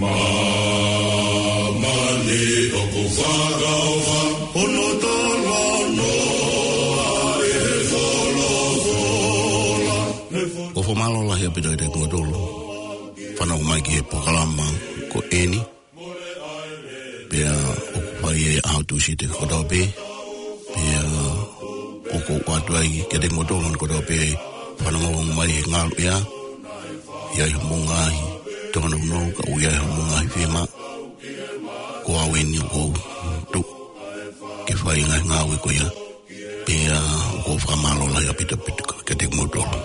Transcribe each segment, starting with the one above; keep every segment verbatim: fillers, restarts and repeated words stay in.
Māmani ʻoku fakaʻofa, ono tolo noa ʻi he folofola. ʻOku fakamālō lahi ʻaupito kiate kimoutolu fanongo mai ki he polokalama ko eni. Pea ʻoku fai ʻi he ʻaho Tūsite kotoa pē. Pea ʻoku ou ʻoatu ai kiate kimoutolu kotoa pē fanongo mai he ngaluʻea. ʻI ai hoʻomou ngaahi tōnounou, ka ʻoku ʻi ai hoʻomou ngaahi fiemaʻu. Ko au eni ʻoku ou tuʻu ke fai e ngaahi ngāue ko ia. Pea ʻoku ou fakamālō lahi ʻaupito kiate kimoutolu.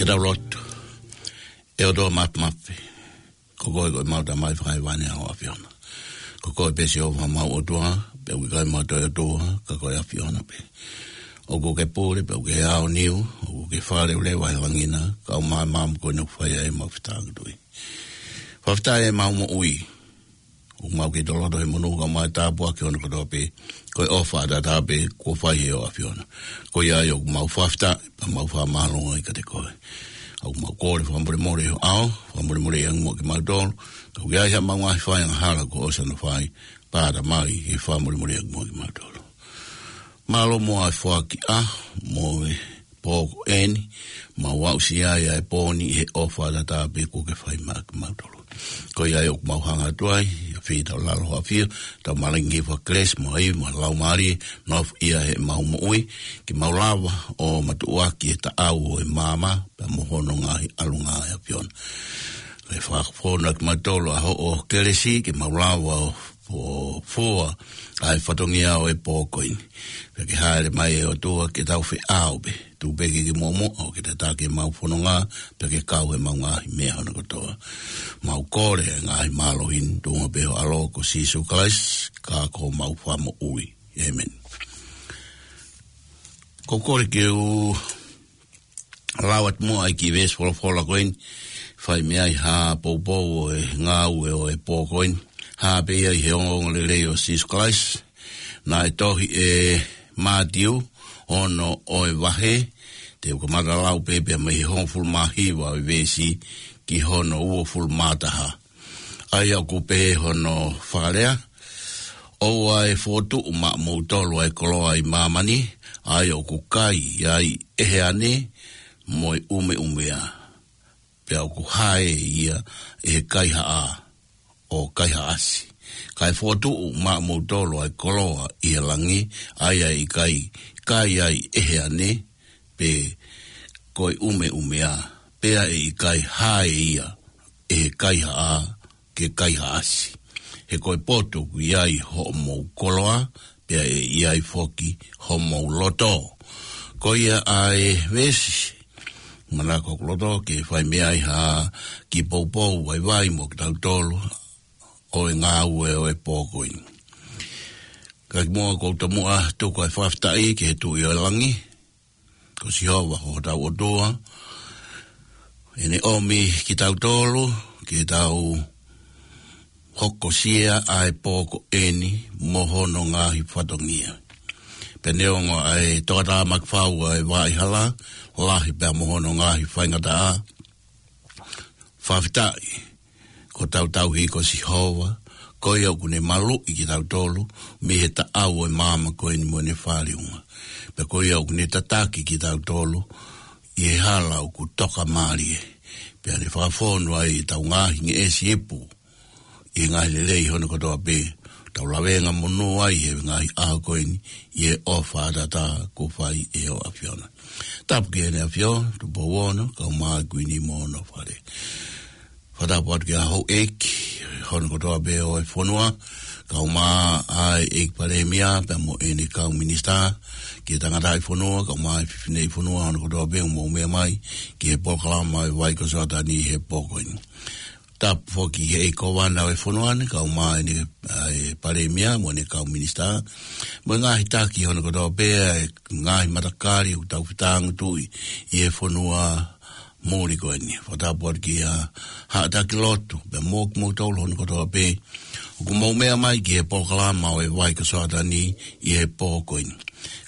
Tau lotu. ʻE ʻOtua Mafimafi, ko koe ko ʻemau Tamai Fakahēvani ʻa ʻAfiona. Ko koe pē Sihova ʻemau ʻOtua, pea ʻoku ʻikai mau toe ʻOtua ka ko e ʻAfiona pē. ʻOku ke pule, pea ʻoku ke aoniu, ʻoku ke fakaleveleva he langi na, kau mai ʻemau moʻui ko eni ʻoku fai ai ʻemau fetāngutuʻi. Fakafetaʻi ʻemau moʻui, ʻoku mau kei toloto he monū kau mai tāpuaki hono kotoa pē, ko e ʻofa ʻataʻatā pē kuo fai ʻe ho ʻAfiona. Ko ia ai ʻoku mau fakafetaʻi, pea mau fakamālō ai kiate koe. ʻOku mau kole fakamolemole ʻi ho ʻao, fakamolemoleʻi ange muʻa kimautolu, ka ʻoku ʻi ai haʻamau ngaahi fai angahala kuo ʻosi hono fai, pea ʻatā mai he fakamolemoleʻi ange muʻa kimautolu. Mālō muʻa e foaki ʻaho mo e pō ko eni, mau aʻusia ai ʻa e pō ni ʻi he ʻofa ʻataʻatā pē kuo ke fai maʻa kimautolu. Ko ia ai ʻoku mau hanga atu ai, ʻa e fai ʻetau lalo ʻafio, tau malangi fakakelesi mo ai, mo e Laumālie, nofoʻia heʻemau moʻui, ke mau lava ʻo matuʻuaki e taʻau ʻo e maama, pea mo hono ngaahi ʻalunga ʻa e ʻAfiona. Ke fakafonu ʻaki kimautolu ʻa hoʻo kelesi, ke mau lava ʻo fo-, fua ʻa e fatongia ʻo e pō ko eni. Pea ke hāʻele mai ʻe ʻOtua ke tau feʻao pē. Tuku pē ke ke muʻomuʻa ʻo ke tataki ʻemau fononga, pea ke kau heʻemau ngaahi meʻa hono kotoa. Mau kole ʻa e ngaahi mālohi ni, tuʻunga pē ho ʻAlo ko Sīsū Kalaisi, ka ko homau Fakamoʻui. ʻĒmeni. Ko e kole ke u lau atu muʻa ʻa e kiʻi veesi folofola ko eni, fai mei ai ha poupou ʻo e ngāue ʻo e pō ko eni, hā pē ia ʻi he ongoongolelei ʻo Sīsū Kalaisi. Naʻe tohi ʻe Mātiu, ono ʻo e vahe, te u kamata lau pē pea mei he hongofulu mā hiva ʻo e veesi ki hono uofulu mā taha. ʻA ia ʻoku pehē hono fakalea, ʻOua ʻe fokotuʻu maʻamoutolu ʻa e koloa ʻi māmani, ʻa ia ʻoku kai ai ʻe he ane mo e ʻumeʻumea, pea ʻoku hā ia ʻe he kaihaʻa ʻo kaihaʻasi. Kae fokotuʻu maʻamoutolu ʻa e koloa ʻi he langi, ʻa ia ʻe ʻikai kai ai ʻe he ane, pe ko e ʻumeʻumea, pea ʻe ʻikai hā ia ʻe he kaihaʻa ke kaihaʻasi. He ko e potu ʻoku ʻi ai hoʻomou koloa, pea ʻe ʻi ai foki homou loto. Ko ia ʻa e veesi manako ʻoku loto ke fai mei ai ha kiʻi poupou vaivai mo kitautolu ʻo e ngāue ʻo e pō ko eni. Ka kimuʻa ʻoku ou tomuʻa tuku ʻa e fakafetaʻi ki he Tuʻi ʻo e langi, ko Sihova hotau ʻOtua, ʻene ʻomi kitautolu ke tau hokosia ʻa e pō ko eni mo hono ngaahi fatongia. Pea neongo ʻa e tokatāmaki fau ʻa e vaʻa hala, lahi pea mo hono ngaahi faingataʻa, fakafetaʻi ko hotau tauhi ko Sihova, ko ia ʻoku ne maluʻi kitautolu mei he taʻau ʻo e maama ko eni mo ʻene fāliunga. Pea ko ia ʻoku ne tataki kitautolu ʻi he hala ʻoku tokamālie. Pea ne fakafonu ai ʻetau ngaahi ngeʻesi ipu ʻi he ngaahi lelei hono kotoa pē, tau lavengamonū ai he ngaahi ʻaho ko eni, ʻi he ʻofa ʻataʻatā kuo fai ʻe ho ʻAfiona. Tapu ki heʻene ʻAfio, Tupou Ono, kau mai Kuini mo hono fale. Fakatapu atu ki he houʻeiki hono kotoa pē ʻo e fonua, kau mai ʻa e ʻEiki Palēmia, pea mo ʻene kau minisitā, ki he tangataʻi fonua, kau mai ʻa e fefineʻi fonua hono kotoa pē ʻoku mou meʻa mai ki he polokalama ʻo e Vai ko Soatani he pō ko eni. Tapu foki ki he ʻEiki Kōvana ʻo e fonua ni, kau mai ʻa e, ʻa e Palēmia mo ʻene kau minisitā, mo e ngaahi taki hono kotoa pē, ʻa e ngaahi matakali ʻoku tau fetāngutuʻi ʻi he fonua muli ko eni. Fakatapu atu ki he haʻa taki lotu, pea mo kimoutolu hono kotoa pē ʻoku mou meʻa mai ki he polokalama ʻo e Vai ko Soatani ʻi he pō ko eni.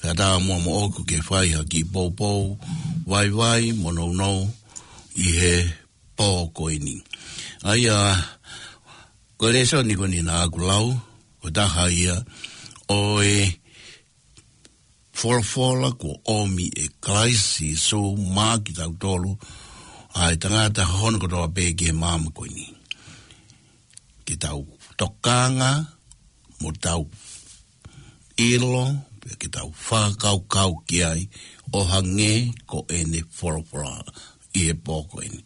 Kae ʻatā muʻa moʻoku ke fai ha kiʻi poupou vaivai mo nounou ʻi he pō ko eni. ʻA ia, ko e lēsoni ko eni naʻa ku lau, ko e taha ia ʻo e folofola kuo ʻomi ʻe Kalaisi Sīsū maʻa kitautolu ʻa e tangata hono kotoa pē ki he maama ko eni. Ke tau tokanga, mo tau ʻilo, pea ke tau fakakaukau ki ai, ʻo hangē ko ʻene folofola ʻi he pō ko eni.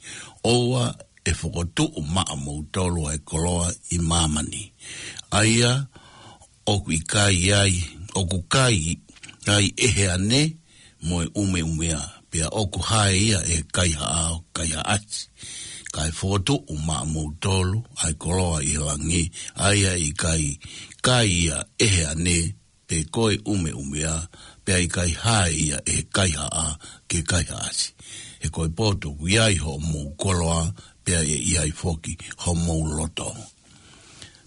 ʻOua ʻe fokotuʻu maʻamoutolu ʻa e koloa ʻi māmani, ʻa ia ʻoku ʻikai ai, ʻoku kai ai ʻe he ane mo e ʻumeʻumea, pea ʻoku hae ia ʻe he kaihaʻa ʻo kaihaʻasi. Kae fokotuʻu maʻamoutolu ʻa e koloa ʻi he langi, ʻa ia ʻe ʻikai kai ia ʻe he ane, pe ko e ʻumeʻumea, pea ʻikai hae ia ʻe he kaihaʻa ke kaihaʻasi. He ko e poto ʻoku ʻi ai hoʻomou koloa, pea ʻe ʻi ai foki homou loto.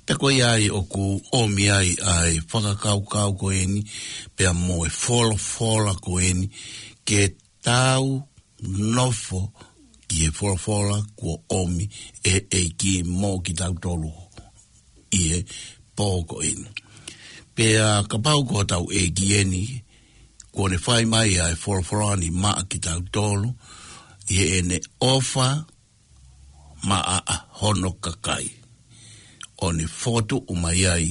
Pea ko ia ai ʻoku ʻomi ai ʻa e fakakaukau ko eni, pea mo e folofola ko eni, ke tau nofo ki he folofola kuo ʻomi ʻe he ʻEiki mo kitautolu ʻi he pō ko eni. Pea kapau ko hotau ʻEiki eni, kuo ne fai mai ʻa e folofola ni maʻa kitautolu, ʻi heʻene ʻofa maʻa hono kakai, ʻo ne fokotuʻu mai ai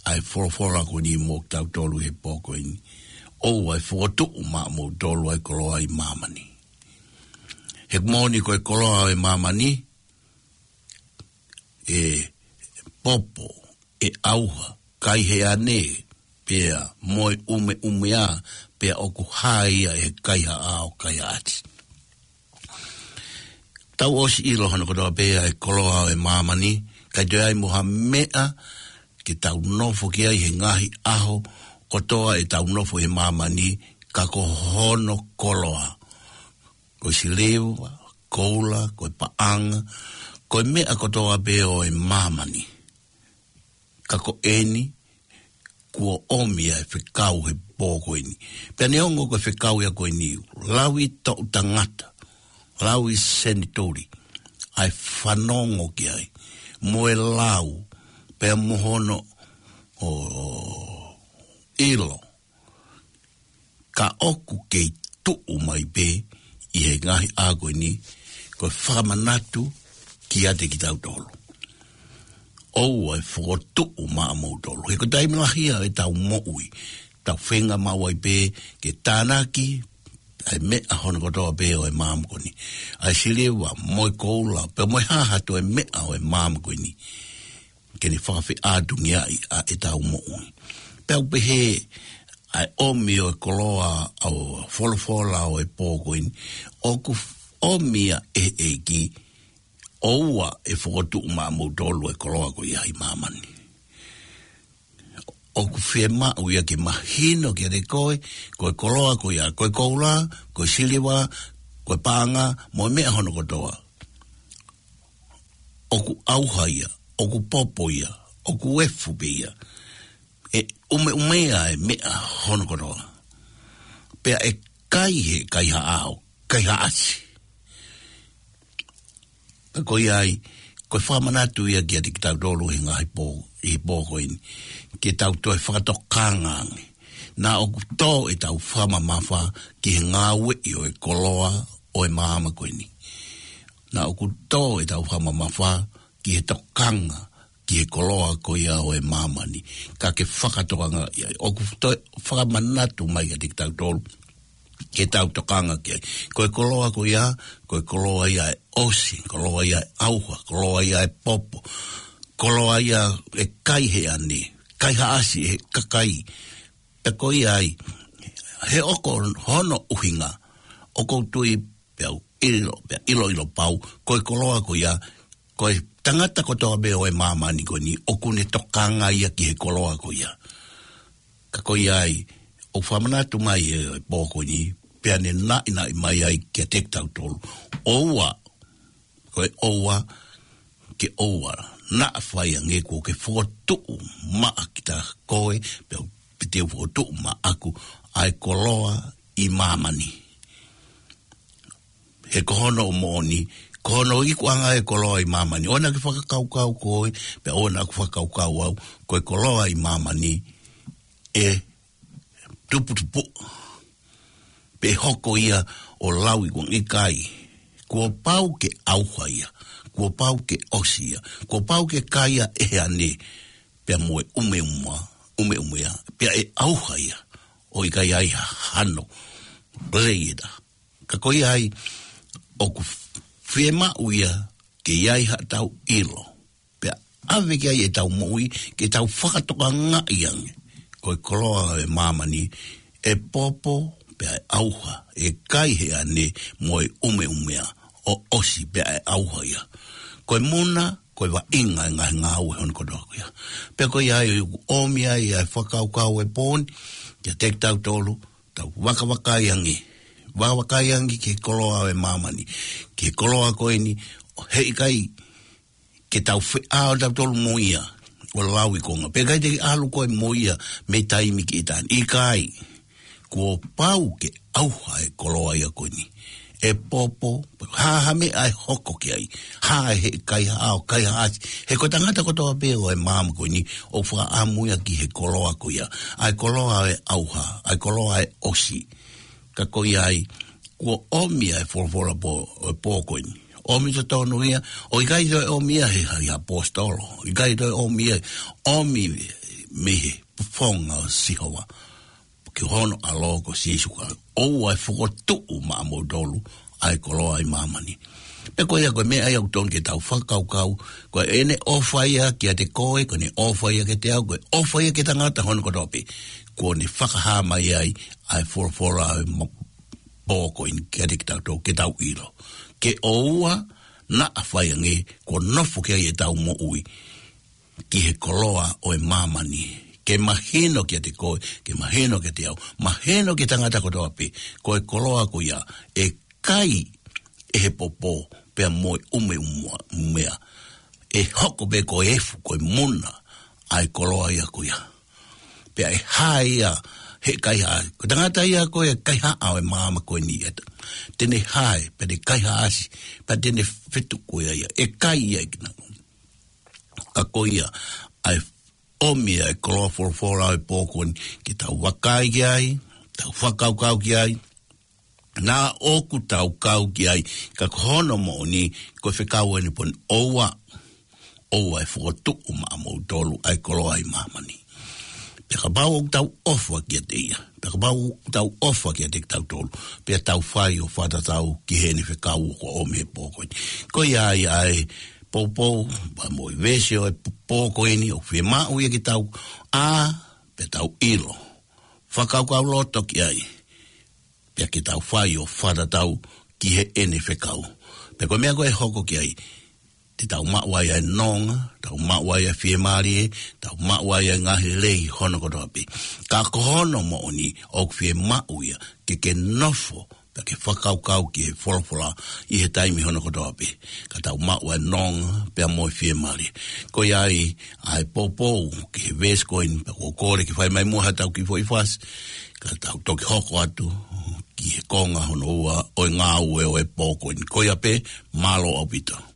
ʻa e folofola ko eni mo kitautolu he pō ko eni. ʻOua ʻe fokotuʻu maʻamoutolu ʻa e koloa ʻi māmani. He moʻoni ko e koloa ʻi māmani, ʻe popo, ʻe ʻauha, kai he ane, pea mo e ʻumeʻumea, pea ʻoku hae ia ʻe he kaihaʻa ʻo kaihaʻasi. Tau ʻosi ʻilo hono kotoa pē ʻa e koloa ʻo e māmani, ʻikai toe ʻi ai mo ha meʻa ke tau nofo ki ai he ngaahi ʻaho kotoa ʻetau nofo he māmani, ka ko hono koloa. Ko e siliva, koula, ko e paʻanga, ko e meʻa kotoa pē ʻo e māmani. Ka ko eni, kuo ʻomi ʻa e fekau he pō ko eni. Pea neongo ko e fekau ia ko eni, lau ʻi toʻu tangata, lau ʻi senituli, ʻa e fanongo ki ai, mo e lau, pea mo hono, ʻo, ʻilo, ka ʻoku kei tuʻu mai pē ʻi he ngaahi ʻaho ko eni, ko e fakamanatu kiate kitautolu. ʻOua ʻe fokotuʻu maʻamoutolu. He ko e taimi lahi ia ʻetau moʻui, tau feinga maʻu ai pē ke tānaki ʻa e meʻa hono kotoa pē ʻo e māmani ko eni. ʻA e siliva, mo e koula, pea mo e hā ha toe meʻa ʻo e māmani ko eni, ke ne fakafeʻātungiaʻi ʻa ʻetau moʻui. Pea u pehē, ʻa e ʻomi ʻo e koloa ʻo e folofola ʻo e pō ko eni, ʻoku ʻomi ia ʻe he ʻEiki, ʻoua ʻe fokotuʻu maʻamoutolu ʻa e koloa ko ia ʻi māmani. ʻOku fiemaʻu ia ke mahino kiate koe, ko e koloa ko ia, ko e koula, ko e siliva, ko e paʻanga, mo e meʻa hono kotoa, ʻoku ʻauha ia, ʻoku popo ia, ʻoku efu pē ia, ʻe ʻumeʻumea ʻa e meʻa hono kotoa, pea ʻe kai he kaihaʻa ʻo kaihaʻasi. Ka ko ia ai, ko e fakamanatu ia kiate kitautolu he ngaahi pō, ʻi he pō ko eni, ke tau toe fakatokanga ange. Naʻa ʻoku tō ʻetau fakamamafa ki he ngāueʻi ʻo e koloa ʻo e māmani ko eni. Naʻa ʻoku tō ʻetau fakamamafa ki he tokanga ki he koloa ko ia ʻo e māmani. Ka ke fakatokangaʻi ai, ʻoku toe fakamanatu mai kiate kitautolu ke tau tokanga ki ai. Ko e koloa ko ia, ko e koloa ia ʻe ʻosi, koloa ia ʻe ʻauha, koloa ia ʻe popo, koloa ia ʻe kai he ane, kaihaʻasi ʻe he kakai. Pea ko ia ai, he ʻoku hono ʻuhinga, ʻoku ou tui pea u ʻilo, pea ʻiloʻilo pau, ko e koloa ko ia, ko e tangata kotoa pē ʻo e māmani ko eni, ʻoku ne tokanga ia ki he koloa ko ia. Ka ko ia ai, ʻoku fakamanatu mai ʻe he pō ko eni, pea ne naʻinaʻi mai ai kiate kitautolu. ʻOua, ko e ʻoua, ke ʻoua naʻa fai ange kuo ke fokotuʻu maʻa kita koe, pea u piti u fokotuʻu maʻaku ʻa e koloa ʻi māmani. He ko hono moʻoni, ko hono ikuʻanga ʻa e koloa ʻi māmani. ʻOua naʻa ke fakakaukau koe, pea ʻoua naʻa ku fakakaukau au, ko e koloa ʻi māmani ʻe tuputupu, pe hoko ia ʻo lau ʻi kuangi kai. Kuo pau ke ʻauha ia, kuo pau ke ʻosi ia, kuo pau ke kai ia ʻe he ane, pea mo e ʻumeʻumea, ʻumeʻumea, pea ʻe ʻauha ia, ʻo ʻikai ai ha hano lelei ʻe taha. Ka ko ia ai, ʻoku fiemaʻu ia ke ʻi ai haʻatau ʻilo, pea ʻave ki ai ʻetau moʻui, ke tau fakatokangaʻi ange, ko e koloa ʻo e māmani, ʻe popo, pea ʻe ʻauha, ʻe kai he ʻane mo e ʻumeʻumea, ʻo ʻosi pea ʻe ʻauha ia. Ko e muna, ko e vaʻinga e ngaahi ngāue hono kotoa ko ia. Pea ko ia ai ʻoku ʻomi ai ʻa e fakakaukau e pō ni, kiate kitautolu, tau vakavakai ange. Vakavakai ange ki he koloa ʻo e māmani. Ki he koloa ko eni, ʻo heʻikai ke tau feʻao tautolu mo ia, ʻo lau ʻi konga. Pea ʻikai te ke ʻalu koe mo ia, mei taimi ki ʻitāniti. ʻIkai, kuo pau ke ʻauha e koloa ia ko eni. ʻE popo, hā ha meʻa ʻe hoko ki ai. Hā e heʻikai hao, kaihaʻasi. He ko e tangata kotoa pē ʻo e māmani ko eni, ʻoku fakaʻamu ia ki he koloa ko ia. ʻA e koloa ʻe ʻauha, ʻa e koloa ʻe ʻosi. Ka ko ia ai, kuo ʻomi ʻa e folofola pō, ʻo e pō ko eni. ʻOmi totonu ia, ʻo ʻikai toe ʻomi ia he, he ʻaposetolo. ʻIkai toe ʻomi ia, ʻomi mei he fofonga ʻo Sihova. Ki hono ʻAlo ko Sīsū Kalaisi. ʻOua ʻe fokotuʻu maʻamoutolu ʻa e koloa ʻi māmani. Pea ko ia ko e meʻa ia ʻoku totonu ke tau fakakaukau, ko ʻene ʻofa ia kiate koe, ko ʻene ʻofa ia kiate au, ko e ʻofa ia ki he tangata hono kotoa pē. Kuo ne fakahā mai ai, ʻa e folofola ʻo e mo-, pō ko eni kiate kitautolu, ke tau ʻilo. Ke ʻoua naʻa fai ange, kuo nofo ki ai ʻetau moʻui ki he koloa ʻo e māmani. Ke mahino kiate koe, ke mahino kiate au, mahino ki he tangata kotoa pē, ko e koloa ko ia, ʻe kai ʻe he popo, pea mo e ʻumeʻumea. ʻE hoko pē ko e efu, ko e muna, ʻa e koloa ia ko ia. Pea ʻe hae ia, he kaihaʻa. Ko e tangata ia ko e kaihaʻa ʻo e māmani ko eni ʻeta. Te ne hae, pea te kaihaʻasi, pea te ne fetuku ia ia. ʻE kai ia ʻe kinautolu. Ka ko ia, ʻa e ʻomi ʻa e koloa folofola ʻo e pō ko eni, ke tau vakai ki ai, tau fakakaukau ki ai, naʻa ʻoku tau kau ki ai, ka ko hono moʻoni, ko e fekau eni pō ni ʻoua, ʻoua ʻe fokotuʻu maʻamoutolu ʻa e koloa ʻi māmani. Pea kapau ʻoku tau ʻofa kiate ia, pea kapau ʻoku tau ʻofa kiate kitautolu, pea tau fai ʻo fakatatau ki heʻene fekau ʻoku ʻomi he pō ko eni. Ko ia ai ʻa e poupou, pea mo e veesi ʻo e pō ko eni ʻoku fiemaʻu ia ke tau ʻā, pea tau ʻilo. Fakakaukau loto ki ai. Pea ke tau fai ʻo fakatatau ki heʻene fekau. Pea ko e meʻa ko ē ʻe hoko ki ai. Te tau maʻu ai ʻa e nonga, tau maʻu ai ʻa e fiemālie, tau maʻu ai ʻa e ngaahi lelei hono kotoa pē. Ka ko hono moʻoni ʻoku fiemaʻu ia, ke ke nofo, pea ke fakakaukau ki he folofola ʻi he taimi hono kotoa pē. Ka tau maʻu ʻa e nonga, pea mo e fiemālie. Ko ia ai, ʻa e poupou, ki he veesi ko eni, pea ʻoku ou kole ke fai mai muʻa haʻatau kiʻi foʻi fasi. Ka tau toki hoko atu, ki he konga hono ua, ʻo e ngāue ʻo e pō ko eni. Ko ia pē, mālō ʻaupito.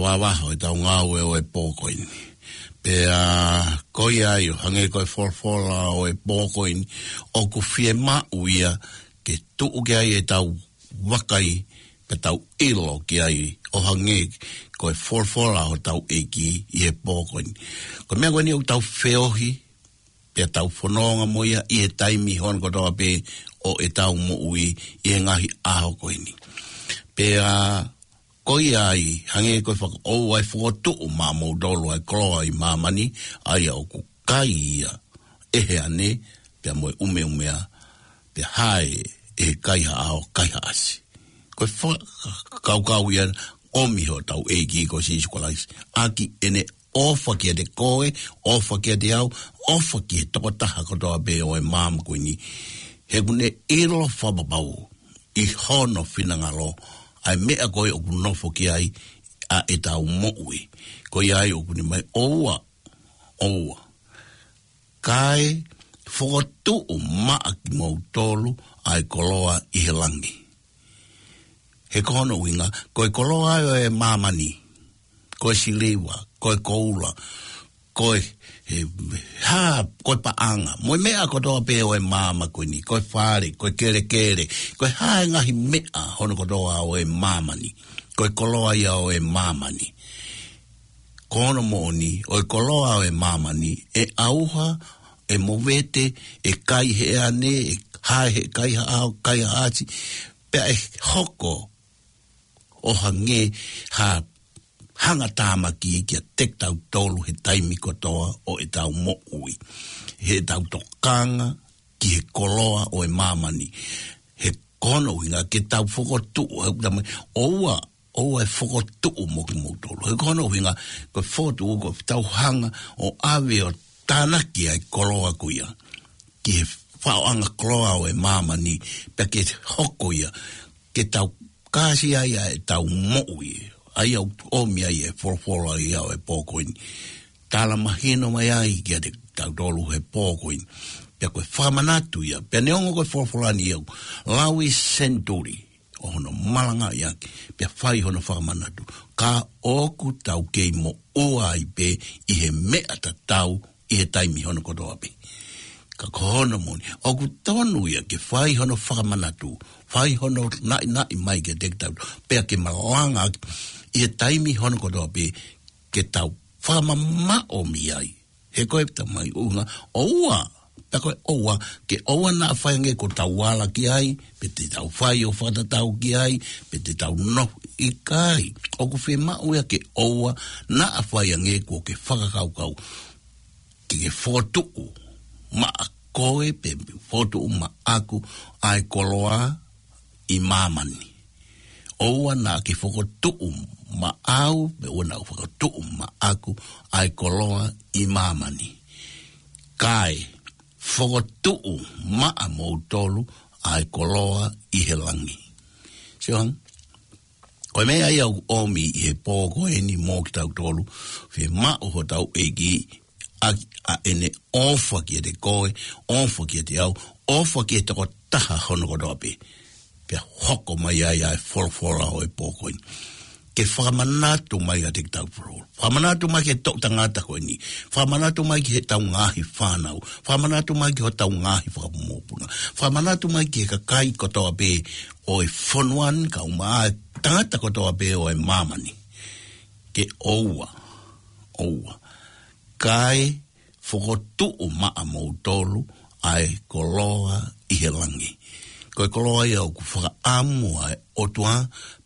vavaho ʻetau ngāue ʻo e pō ko eni. Pea ko ia ai ʻo hangē ko e folofola ʻo e pō ko eni, ʻoku fiemaʻu ia ke tuʻu ki ai ʻetau vakai, pea tau ʻilo ki ai ʻo hangē ko e folofola ʻo hotau ʻEiki ʻi he pō ko eni. Ko e meʻa ko eni ʻoku tau feohi, pea tau fononga mo ia ʻi he taimi hono kotoa pē ʻo ʻetau moʻui ʻi he ngaahi ʻaho ko eni. Pea ko ia ai, hangē ko e faka-, ʻoua ʻe fokotuʻu maʻamoutolu ʻa e koloa ʻi māmani, ʻa ia ʻoku kai ia ʻe he ane, pea mo e ʻumeʻumea, pea hae ʻe he kaihaʻa ʻo kaihaʻasi. Ko e fakakaukau ia ʻomi hotau ʻEiki ko Sīsū Kalaisi, ʻaki ʻene ʻofa kiate koe, ʻofa kiate au, ʻofa ki he tokotaha kotoa pē ʻo e māmani ko eni. He ʻoku ne ʻilo fakapapau ʻi hono finangalo ʻa e meʻa ko ē ʻoku nofo ki ai ʻa ʻetau moʻui. Ko ia ai ʻoku ne mai, ʻoua, ʻoua. Kae fokotuʻu maʻa kimoutolu ʻa e koloa ʻi he langi. He ko hono ʻuhinga, ko e koloa ʻo e māmani, ko e siliva, ko e koula, ko e, he, hā, ko e paʻanga, mo e meʻa kotoa pē ʻo e māmani ko eni, ko e fale, ko e kelekele, ko e hā e ngaahi meʻa hono kotoa ʻo e māmani, ko e koloa ia ʻo e māmani. Ko hono moʻoni, ʻo e koloa ʻo e māmani, ʻe ʻauha, ʻe movete, ʻe kai ʻe he ane, ʻe hae ʻe he kaihaʻa ʻo kaihaʻasi, pea ʻe hoko ʻo hangē ha hangatāmaki kiate kitautolu he taimi kotoa ʻo ʻetau moʻui. Heʻetau tokanga ki he koloa ʻo e māmani. He ko hono ʻuhinga ke tau fokotuʻu, he ʻoku tau mai, ʻoua, ʻoua ʻe fokotuʻu maʻa kimoutolu. He ko hono ʻuhinga, ko e fokotuʻu ko ʻetau hanga ʻo ʻave ʻo tānaki ʻa e koloa ko ia ki he faʻoʻanga koloa ʻo e māmani, pea ke hoko ia, ke tau kāsi ai ʻa ʻetau moʻui. ʻA ia ʻoku ʻomi ai e folofola ia ʻo e pō ko eni. Tala mahino mai ai kiate kitautolu he pō ko eni. Pea ko e fakamanatu ia, pea neongo ko e folofola ni ʻoku lau ʻi he senituli ʻo hono malangaʻi ʻaki, pea fai hono fakamanatu. Ka ʻoku tau kei moʻua ai pē ʻi he meʻa tatau ʻi he taimi hono kotoa pē. Ka ko hono moʻoni, ʻoku tonu ia ke fai hono fakamanatu, fai hono naʻinaʻi mai kiate kitautolu, pea ke malanga ʻaki ʻi he taimi hono kotoa pē, ke tau fakamamaʻo mei ai. He ko e tala mai ʻuhinga, ʻoua, pea ko e ʻoua, ke ʻoua naʻa fai ange ko ʻetau ala ki ai, pe te tau fai ʻo fakatatau ki ai, pe te tau nofo, ʻikai. ʻOku fiemaʻu ia ke ʻoua naʻa fai ange kuo ke fakakaukau ke ke fokotuʻu maʻa koe pe fokotuʻu maʻaku ʻa e koloa ʻi māmani. ʻOua naʻa ke fokotuʻu maʻau, pe ʻoua naʻa fokotuʻu maʻaku ʻa e koloa ʻi māmani. Kae fokotuʻu maʻamoutolu ʻa e koloa ʻi he langi. Sio hangē, ko e meʻa ia ʻoku ʻomi ʻi he pō ko eni mo kitautolu, fiemaʻu hotau ʻEiki ʻaki ʻa ʻene ʻofa kiate koe, ʻofa kiate au, ʻofa ki he tokotaha hono kotoa pē. Pea hoko mai ai ʻa e folofola ʻo e pō ko eni. Ke fakamanatu mai kiate kitautolu. Fakamanatu mai ki he toʻu tangata ko eni. Fakamanatu mai ki heʻetau ngaahi fānau. Fakamanatu mai ki hotau ngaahi fakamokopuna. Fakamanatu mai ki he kakai kotoa pē ʻo e fonua ni kae ʻumaʻā e tangata kotoa pē ʻo e māmani. Ke ʻoua, ʻoua. Kae fokotuʻu maʻamoutolu ʻa e koloa ʻi he langi. Ko e koloa ia ʻoku fakaʻamu ʻa e ʻOtua,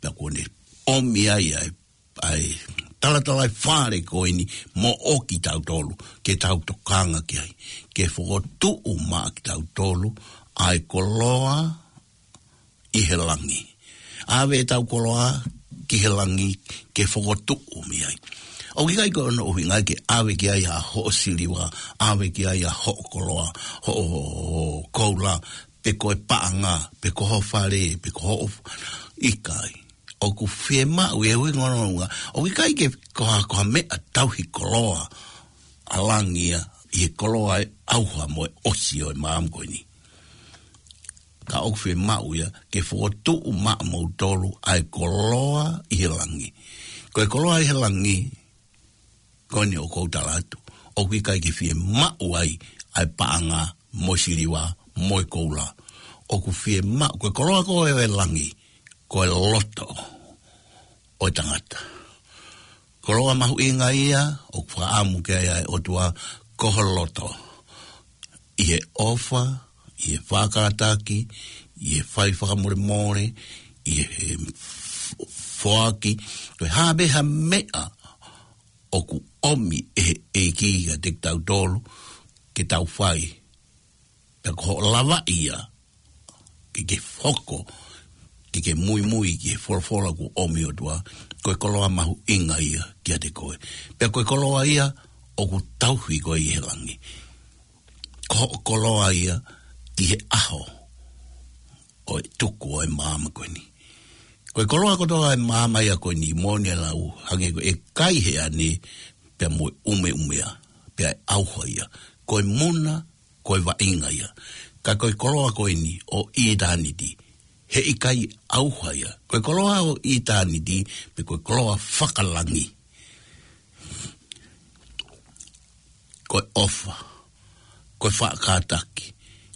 pea kuo ne ʻomi ai ʻa e, ʻa e talatalaifale ko eni moʻo kitautolu, ke tau tokanga ki ai. Ke fokotuʻu maʻa kitautolu ʻa e koloa ʻi he langi. ʻAve ʻetau koloa ki he langi ke fokotuʻu mei ai. ʻOku ʻikai ko hono ʻuhinga ke ʻave ki ai ʻa hoʻo siliva, ʻave ki ai ʻa hoʻo koloa, hoʻo, hoʻo koula, pe ko e paʻanga, pe ko ho fale, pe ko hoʻo f-, ʻikai. ʻOku fiemaʻu e ui ngono ʻuhinga. ʻOku ʻikai ke ko ha, ko ha meʻa tauhi koloa ʻa langi ia, ʻi he koloa ʻe ʻauha mo e ʻosi ʻo e māmani ko eni. ka ʻoku fiemaʻu ia ke fokotuʻu maʻamoutolu ʻa e koloa ʻi he langi. Ko e koloa ʻi he langi, ko eni ʻoku ou tala atu, ʻoku ʻikai ke fiemaʻu ai ʻa e paʻanga mo e siliva mo e koula. ʻOku fiemaʻu, ko e koloa ko ē ʻo e langi, ko e loto ʻo e tangata. Koloa mahuʻinga ia ʻoku fakaʻamu ki ai ʻa e ʻOtua, ko ho loto. ʻI he ʻofa, ʻi he faʻakātaki, ʻi he fai fakamolemole, ʻi he f-, foaki, ko e hā pē ha meʻa ʻoku ʻomi ʻe he ʻEiki kiate kitautolu ke tau fai. Pea ko hoʻo lavaʻi ia ke ke hoko, ke ke muimui ki he folofola kuo ʻomi ʻe he ʻOtua, ko e koloa mahuʻinga ia kiate koe. Pea ko e koloa ia ʻoku tauhi koe ʻi he langi. Ko hoʻo koloa ia ʻi he ʻaho ʻo e tuku ʻo e maama ko eni. Ko e koloa kotoa ʻo e maama ia ko eni, moʻoni e lau, hangē ko e kai he ane, pea mo e ʻumeʻumea, pea ʻe ʻauha ia. Ko e muna, ko e vaʻinga ia. Ka ko e koloa ko eni ʻo ʻitāniti, heʻikai ʻauha ia. Ko e koloa ʻo ʻitāniti, pe ko e koloa fakalangi, ko e ʻofa, ko e faʻa kātaki,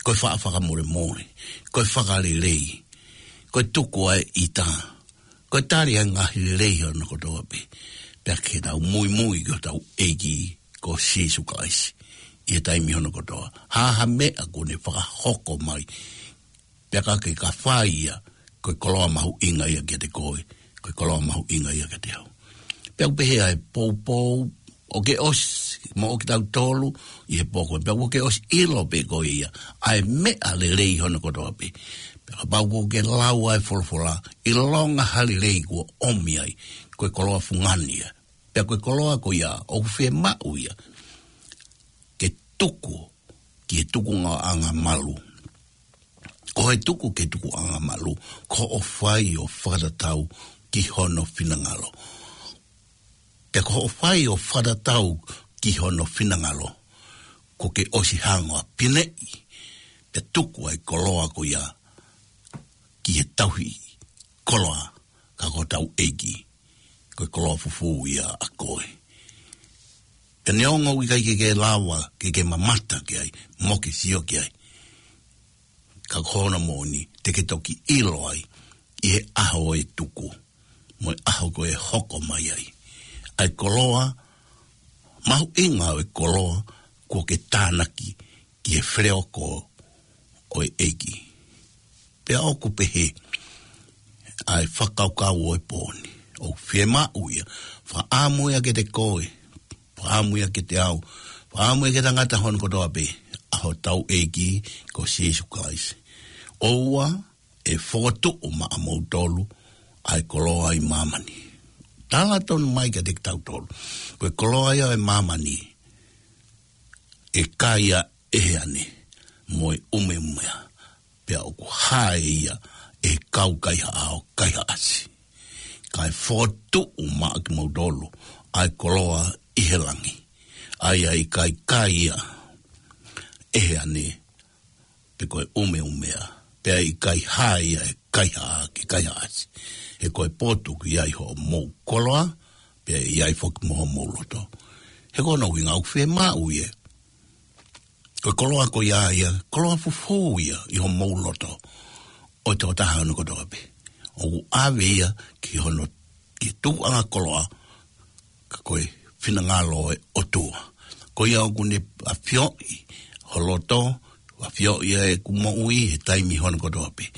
ko e faʻa fakamolemole, ko e fakalelei, ko e tuku ʻa e ʻita, ko e tali ʻa e ngaahi lelei hono kotoa pē. Pea ke tau muimui ki hotau ʻEiki ko Sīsū Kalaisi ʻi he taimi hono kotoa. Hā ha meʻa kuo ne fakahoko mai, pea ka ke ka fai ia, ko e koloa mahuʻinga ia kiate koe, ko e koloa mahuʻinga ia kiate au. Pea ʻoku pehē ʻa e poupou, ʻoku ke ʻosi, mo ʻoku kitautolu ʻi he pō ko ē, pea ʻoku ke ʻosi ʻilo pē koe ia ʻa e meʻa lelei hono kotoa pē. Pea kapau ʻoku ke lau ʻa e folofola, ʻilonga ha lelei kuo ʻomi ai, ko e koloa fungani ia. Pea ko e koloa ko ia ʻoku fiemaʻu ia ke tuku ki he tukuʻanga malu. Ko e tuku ki he tukuʻanga malu, ko hoʻo fai ʻo fakatatau ki hono finangalo. Pea ko hoʻo fai ʻo fakatatau ki hono finangalo, kuo ke ʻosi hanga ʻo pineʻi, pea tuku ʻa e koloa ko ia ki he tauhi koloa, ka ko hotau ʻEiki, ko e koloa fufū ia ʻa koe. Pea neongo ʻoku ʻikai ke ke lava ke ke mamata ki ai, mo ke sio ki ai, ka ko hono moʻoni te ke toki ʻilo ai ʻi he ʻaho ʻo e tuku, mo e ʻaho ko ē ʻe hoko mai ai ʻa e koloa mahuʻinga ʻo e koloa kuo ke tānaki ki he feleoko ʻo e ʻEiki. Pea ʻoku pehē ʻa e fakakaukau ʻo e pō ni, ʻoku fiemaʻu ia, fakaʻamu ia kiate koe, fakaʻamu ia kiate au, fakaʻamu ia ki he tangata hono kotoa pē, ʻa hotau ʻEiki ko Sīsū Kalaisi. ʻOua ʻe fokotuʻu maʻamoutolu ʻa e koloa ʻi māmani. Tala tonu mai kiate kitautolu, ko e koloa ia ʻo e māmani, ʻe kai ia ʻe he ane mo e ʻumeʻumea, pea ʻoku hae ia ʻe he kau kaihaʻa ʻo kaihaʻasi. Kae fokotuʻu maʻa kimoutolu ʻa e koloa ʻi he langi, ʻa ia ʻe ʻikai kai ia ʻe he ane, pe ko e ʻumeʻumea, pea ʻikai hae ia ʻe he kaihaʻa ke kaihaʻasi. He ko e potu ʻoku ʻi ai hoʻomou koloa, pea ʻi ai foki mo homou loto. He ko hono ʻuhinga ʻoku fiemaʻu ia, ko e koloa ko ia ia, koloa fufū ia ʻi homou loto, ʻo e tokotaha hono kotoa pē. ʻOku ʻave ia ki hono, ki he tukuʻanga koloa, ka ko e finangalo ʻo e ʻOtua. Ko ia ʻoku ne ʻafioʻi ho loto, ʻafioʻi ʻa ʻeku moʻui he taimi hono kotoa pē.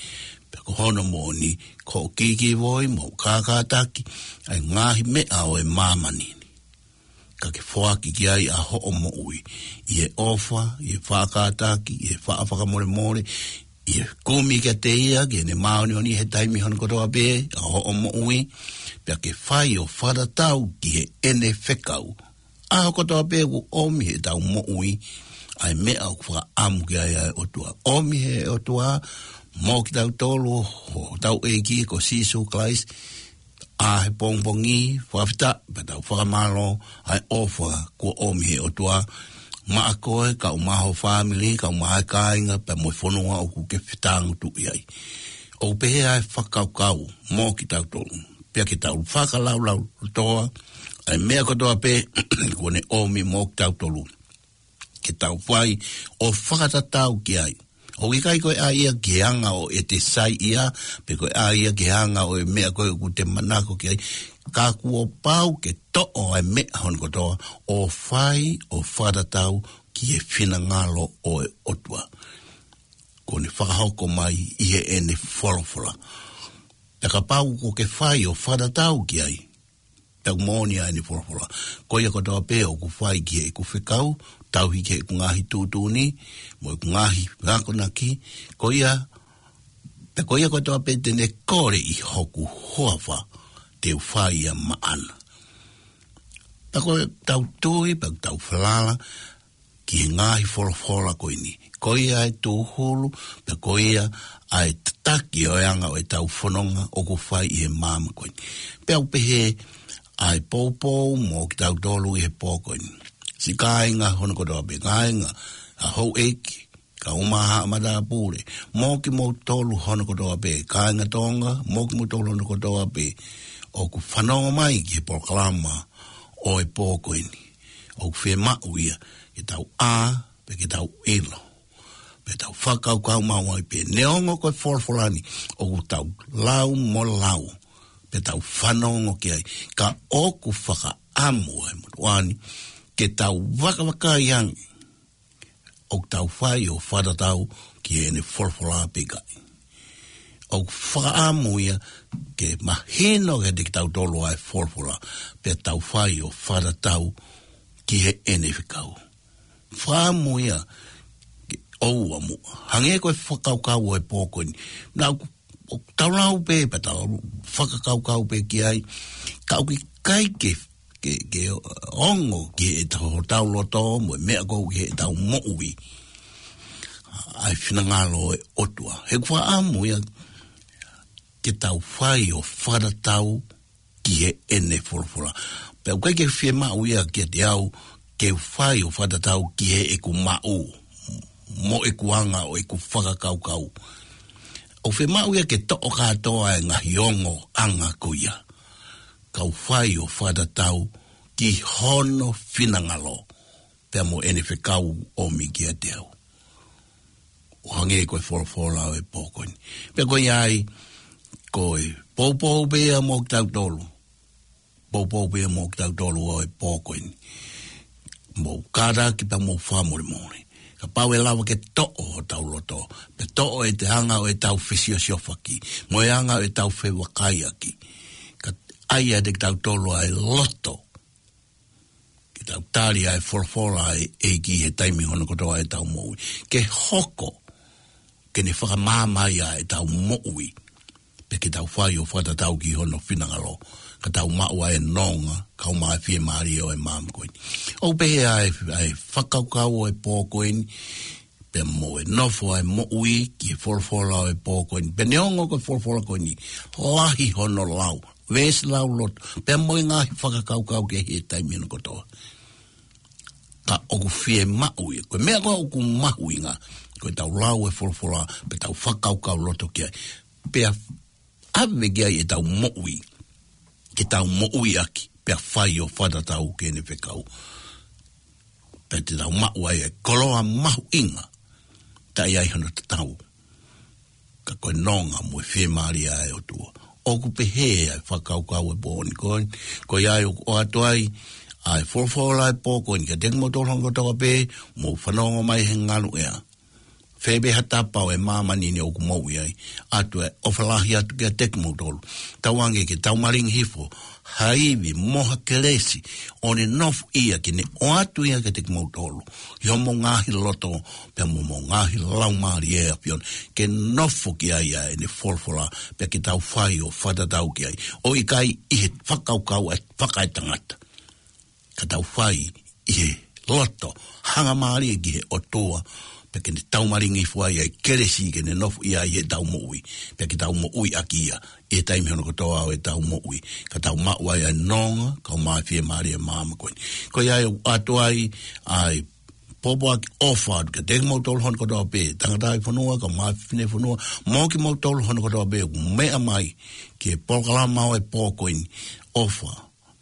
Pea ko hono moʻoni, ko hoʻo kikivoi mo hoʻo kākātaki ʻa e ngaahi meʻa ʻo e māmani ni, ka ke foaki ki ai ʻa hoʻo moʻui ʻi he ʻofa, ʻi he faʻa kātaki, ʻi he faʻa fakamolemole, ʻi he kumi kiate ia, ki heʻene māʻoniʻoni he taimi hono kotoa pē ʻa hoʻo moʻui, pea ke fai ʻo fakatatau ki heʻene fekau ʻaho kotoa pē ʻoku ʻomi heʻetau moʻui ʻa e meʻa ʻoku fakaʻamu ki ai ʻa e ʻOtua. ʻOmi ʻe he ʻOtua mo kitautolu hotau ʻEiki ko Sīsū Kalaisi, ʻa he pongipongi, fakafetaʻi pea tau fakamālō ʻa e ʻofa kuo ʻomi ʻe he ʻOtua maʻa koe, kae ʻumaʻā ho fāmili, kae ʻumaʻā e kāinga, pea mo e fonua ʻoku ke fetāngutuʻi ai. ʻOku pehē ʻa e fakakaukau mo kitautolu. Pea ke tau fakalaulauloto ʻa e meʻa kotoa pē kuo ne ʻomi mo kitautolu ke tau fai ʻo fakatatau ki ai. ʻOku ʻikai ko e ʻai ia ki he anga ʻo ʻete saiʻia, pe ko e ʻai ia ki he anga ʻo e meʻa ko ē ʻoku te manako ki ai. Ka kuo pau ke toʻo ʻa e meʻa hono kotoa ʻo fai ʻo fakatatau ki he finangalo ʻo e ʻOtua kuo ne fakahoko mai ʻi heʻene folofola. Pea kapau kuo ke fai ʻo fakatatau ki ai, pea ʻoku moʻoni ʻa ʻene folofola. Ko ia kotoa pē ʻoku fai ki heʻeku fekau, tauhi ki heʻeku ngaahi tuʻutuʻuni, mo ʻeku ngaahi akonaki, ko ia, pea ko ia kotoa pē te ne kole ʻi hoku huafa, te u fai ia maʻana. Pea ko ʻetau tui, pea ʻoku tau falala ki he ngaahi folofola ko eni. Ko ia ʻa e tūhulu, pea ko ia ʻa e tataki ʻo e anga ʻo ʻetau fononga ʻoku fai ʻi he māmani ko eni. Pea ʻoku pehē ʻa e poupou mo kitautolu ʻi he pō ko eni. Siʻi kāinga hono kotoa pē, kāinga, ʻa houʻeiki, kae ʻumaʻā haʻa matāpule, mo kimoutolu hono kotoa pē, kāinga Tonga, mo kimoutolu hono kotoa pē, ʻoku fanongo mai ki he polokalama ʻo e pō ko eni. ʻOku fiemaʻu ia ke tau ʻā, pea ke tau ʻilo, pea tau fakakaukau maʻu ai pē. Neongo ko e folofola ni ʻoku tau lau mo lau, pea tau fanongo ki ai, ka ʻoku fakaʻamu ʻa e motuʻa ni ke tau vakavakai ange ʻoku tau fai ʻo fakatatau ki heʻene folofola pe ʻikai. ʻOku fakaʻamu ia ke mahino kiate kitautolu ʻa e folofola, pea tau fai ʻo fakatatau ki heʻene fekau. Fakaʻamu ia ke ʻoua muʻa. Hangē ko e fakakaukau ʻo e pō ko eni. Naʻa ʻoku tau lau pē, pea tau fakakaukau pē ki ai. Ka ʻoku ʻikai ke, ke, ke ongo ki heʻetau, hotau loto, mo e meʻa ko ē ki heʻetau moʻui ʻa e finangalo ʻo e ʻOtua. He ʻoku fakaʻamu ia ke tau fai ʻo fakatatau ki heʻene folofola. Pea ʻoku ʻikai ke fiemaʻu ia kiate au ke u fai ʻo fakatatau ki heʻeku maʻu, mo ʻeku anga ʻo ʻeku fakakaukau. ʻOku fiemaʻu ia ke toʻo kātoa e ngaahi ongoʻanga ko ia, kau fai ʻo fakatatau ki hono finangalo, pea mo ʻene fekau ʻomi kiate au. ʻO hangē ko e folofola ʻo e pō ko eni. Pea ko ia ai, ko e poupou pē ia mo kitautolu. Poupou pē ia mo kitautolu ʻo e pō ko eni. Mou kātaki pea mou fakamolemole. Kapau ʻe lava ke toʻo hotau loto, pea toʻo ʻete anga ʻo ʻetau fesiosiofaki, mo e anga ʻo ʻetau fevakaiʻaki, kae ʻai ʻiate kitautolu ʻa e loto ke tau tali ʻa e folofola ʻa e ʻEiki he taimi hono kotoa ʻetau moʻui. Ke hoko ke ne fakamaama ai ʻa ʻetau moʻui, pea ke tau fai ʻo fakatatau ki hono finangalo, ka tau maʻu ʻa e nonga, kae ʻumaʻā e fiemālie ʻo e māmani ko eni. ʻOku pehē ʻa e, ʻa e fakakaukau ʻo e pō ko eni, pea mo e nofo ʻa e moʻui ki he folofola ʻo e pō ko eni. Pea neongo ko e folofola ko eni lahi hono lau, veesi lauloto, pea mo e ngaahi fakakaukau kehe he taimi hono kotoa. Ka ʻoku fiemaʻu ia, ko e meʻa ko ē ʻoku mahuʻinga, ko ʻetau lau e folofola, pea tau fakakaukau loto ki ai. Pea ʻave ki ai ʻetau moʻui, ke tau moʻui ʻaki, pea fai ʻo fakatatau ki heʻene fekau. Pea te tau maʻu ai e koloa mahuʻinga, taʻe ʻi ai hano tatau, ka ko e nonga mo e fiemālie ʻa e ʻOtua. ʻOku pehē ʻa e fakakaukau e pō ni ko ē, ko ia ai ʻoku ʻoatu ai ʻa e folofola e pō ko eni kiate kimoutolu hono kotoa pē, mou fanongo mai he ngaluʻea. Fē pē ha tapa ʻo e māmani ni ʻoku mou ʻi ai, ʻoatu e ʻofa lahi atu kiate kimoutolu. Tauange ke tau malingi hifo ha ivi mo ha kelesi, ʻo ne nofoʻia, ke ne ʻoatu ia kiate kimoutolu ʻi homou ngaahi loto, pea mo homou ngaahi laumālie ʻe ʻAfiona, ke nofo ki ai ʻa ʻene folofola, pea ke tau fai ʻo fakatatau ki ai, ʻo ʻikai ʻi he fakakaukau ʻa e fakaetangata, ka tau fai ʻi he loto hangamālie ki he ʻOtua, pea ke ne tau malingi hifo ai ʻa e kelesi ke ne nofoʻia ai ʻetau moʻui, pea ke tau moʻui ʻaki ia ʻi he taimi hono kotoa ʻo ʻetau moʻui, ka tau maʻu ai ʻa e nonga, kae ʻumaʻā e fiemālie ʻo e māmani ko eni. Ko ia ai ʻoku ʻoatu ai ʻa e pōpoaki ʻofa atu kiate kimoutolu hono kotoa pē, tangataʻi fonua, kae ʻumaʻā e fefine fonua, mo kimoutolu hono kotoa pē, ʻoku meʻa mai ki he polokalama ʻo e pō ko eni, ʻofa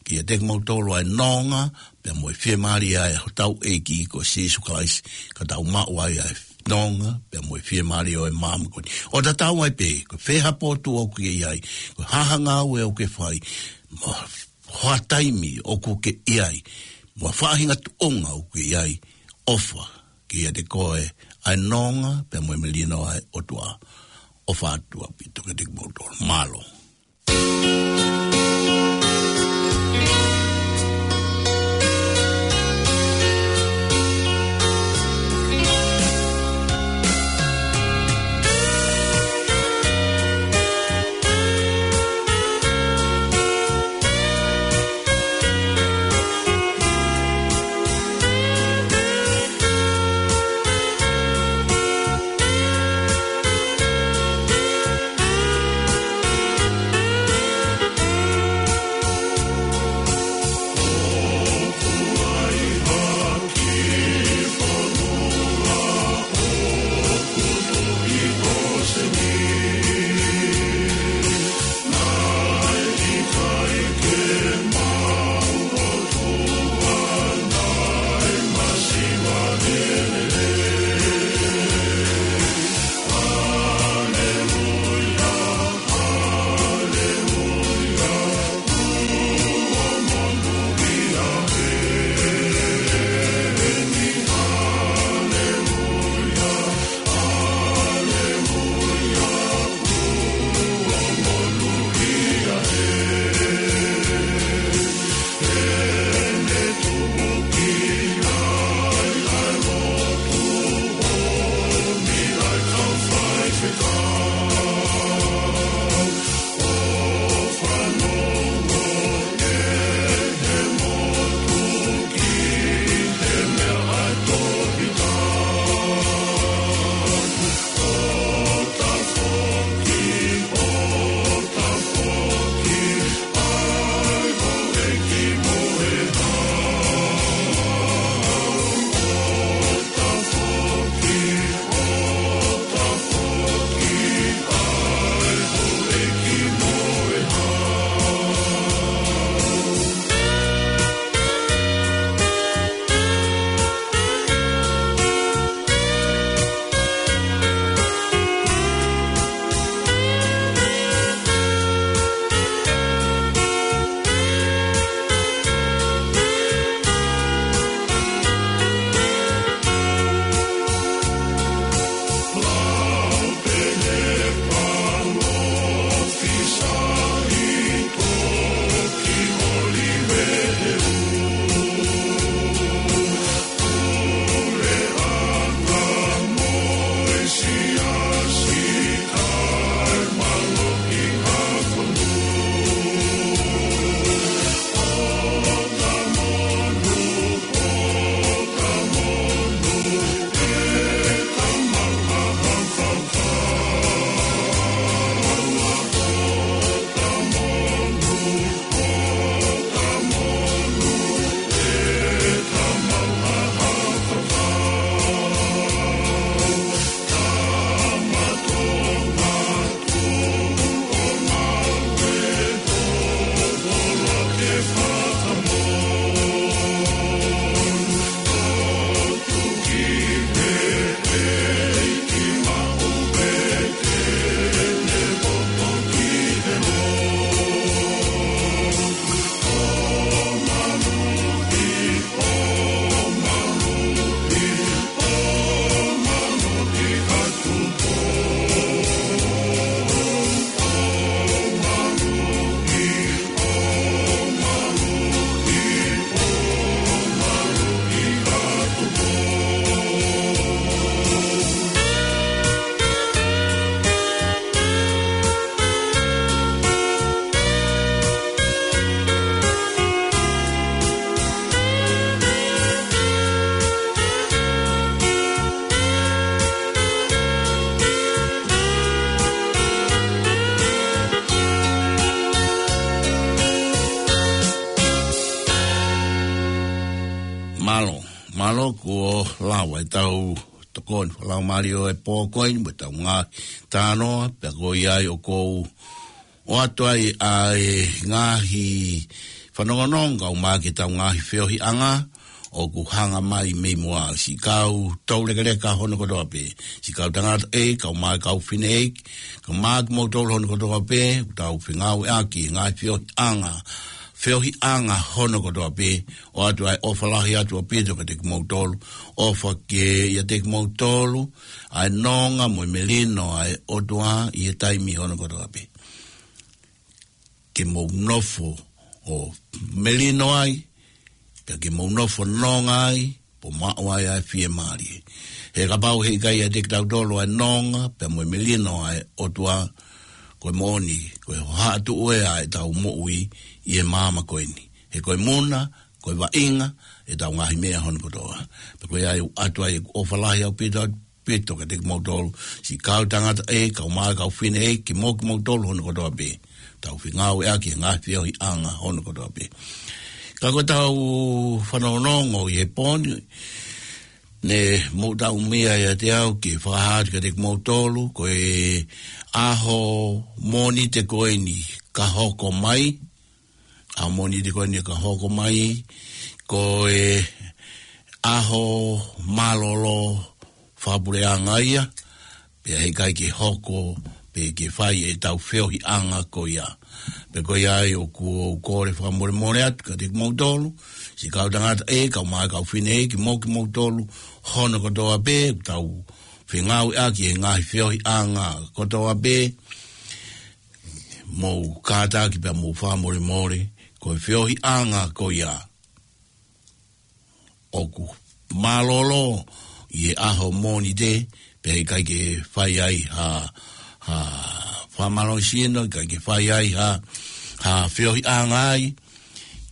kiate kimoutolu ʻa e nonga, pea mo e fiemālie ʻa hotau ʻEiki ko Sīsū Kalaisi, ka tau maʻu ai ʻa e nonga, pea mo e fiemālie ʻo e maama ko eni. ʻO tatau ai pē, ko e fē ha potu ʻoku ke ʻi ai, ko e hā ha ngāue ʻoku ke fai, mo e hā ha taimi ʻoku ke ʻi ai, mo e faʻahinga tuʻunga ʻoku ke ʻi ai, ʻofa kiate koe ʻa e nonga, pea mo e melino ʻa e ʻOtua. ʻOfa atu ʻaupito kiate kimoutolu. Mālō. Kuo lava ʻetau tokoni fakalaumālie ʻo e pō ko eni mo ʻetau ngaahi talanoa, pea ko ia ai ʻoku ou ʻoatu ai ʻa e ngaahi fanongonongo kae ʻumaʻā ʻetau ngaahi feohiʻanga ʻoku hanga mai mei muʻa, siʻi kau toulekeleka hono kotoa pē, siʻi kau tangataʻeiki kae ʻumaʻā e kau fineʻeiki, kae ʻumaʻā kimoutolu hono kotoa pē ʻoku tau fengāueʻaki he ngaahi feohiʻanga, feohiʻanga hono kotoa pē, ʻoatu ai ʻofa lahi atu ʻaupito kiate kimoutolu, ʻofa ke ʻiate kimoutolu ʻa e nonga mo e melino ʻa e ʻOtua ʻi he taimi hono kotoa pē. Ke mou nofo ʻo melino ai, pea ke mou nofo nonga ai, pea maʻu ai ʻa e fiemālie. He kapau heʻikai ʻiate kitautolu ʻa e nonga pea mo e melino ʻa e ʻOtua, ko e moʻoni ko e hohaʻatuʻu ē ʻa ʻetau moʻui ʻi he māmani ko eni. He ko e muna, ko e vaʻinga ʻetau ngaahi meʻa hono kotoa. Pea ko ia ai ʻoku ʻoatu ai ʻeku ʻofa lahi ʻaupito, ʻaupito kiate kimoutolu, siʻi kau tangataʻeiki kae ʻumaʻā e kau fineʻeiki, kimoutolu hono kotoa pē ʻoku tau fengāueʻaki he ngaahi feohiʻanga hono kotoa pē. Ka ko ʻetau fanongonongo ʻi he pō ni, ne mou taʻu mai ʻiate au ke fakahā atu kiate kimoutolu, ko e ʻaho Mōnite ko eni ka hoko mai, ʻaho Mōnite ko eni ka hoko mai, ko e ʻaho mālōlō fakapuleʻanga ia, pea heʻikai ke hoko pe ke fai ʻetau feohiʻanga ko ia. Pea ko ia ai ʻoku ou kole fakamolemole atu kiate kimoutolu, siʻi kau tangataʻeiki kae ʻumaʻā e kau fineʻeiki, mo kimoutolu hono kotoa pē ʻoku tau fengāueʻaki he ngaahi feohiʻanga kotoa pē, mou kātaki pea mou fakamolemole, ko e feohiʻanga ko ia ʻoku mālōlō ʻi he ʻaho Mōnite, pea heʻikai ke fai ai ha, ha fakamālohisino, ʻikai ke fai ai ha, ha feohiʻanga ai,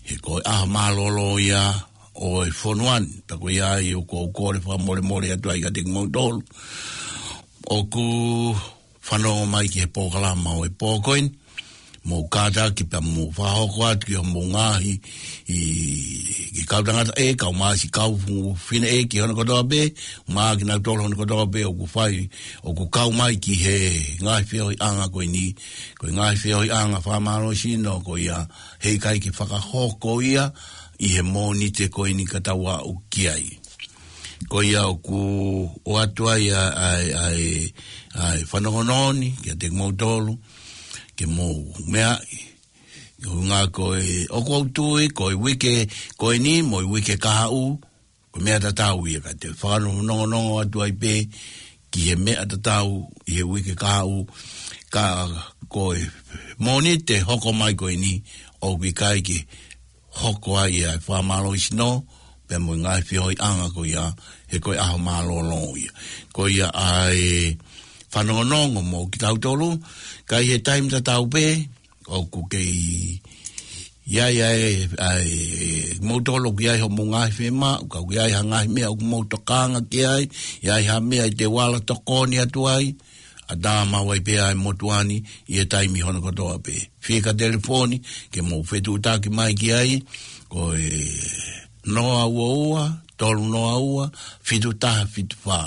he ko e ʻaho mālōlō ia ʻo e fonua ni. Pea ko ia ai ʻoku ou kole fakamolemole atu ai kiate kimoutolu ʻoku fanongo mai ki he polokalama ʻo e pō ko eni, mou kātaki pea mou fakahoko atu ki hoʻomou ngaahi, ʻi, ki he kau tangataʻeiki kae ʻumaʻā siʻi kau fineʻeiki hono kotoa pē, ʻumaʻā kinautolu hono kotoa pē ʻoku fai, ʻoku kau mai ki he ngaahi feohiʻanga ko eni, ko e ngaahi feohiʻanga fakamālohisino ko ia heʻikai ke fakahoko ia ʻi he Mōnite ko eni ka tau aʻu ki ai. Ko ia ʻoku ʻoatu ai ʻa e, ʻa e, ʻa e, ʻa e fanongonongo ni kiate kimoutolu, ke mou meaʻi. Ko e ʻuhinga ko e, ʻoku ou tui, ko e uike ko eni mo e uike kahaʻu, ko e meʻa tatau ia ka te fakanongonongo atu ai pē ki he meʻa tatau ʻi he uike kahaʻu, ka ko e Mōnite hoko mai ko eni, ʻoku ʻikai ke hoko ai ʻa e fakamālohisino, pea mo e ngaahi feohiʻanga ko ia, he ko e ʻaho mālōlō ia. Ko ia ʻa e fanongonongo mo kitautolu, ka ʻi he taimi tatau pē, ʻoku kei ʻi ai ʻa e, ʻa e, moutolu ʻoku ʻi ai hoʻomou ngaahi fiemaʻu, ka ʻoku ʻi ai ha ngaahi meʻa ʻoku mou tokanga ki ai, ʻi ai ha meʻa ʻi te vala tokoni atu ai, ʻatā maʻu ai pē ʻa e motuʻa ni ʻi he taimi hono kotoa pē. Fika telefoni ke mou fetuʻutaki mai ki ai, ko e noa ua ua, tolu noa ua, fitu taha fitu fā.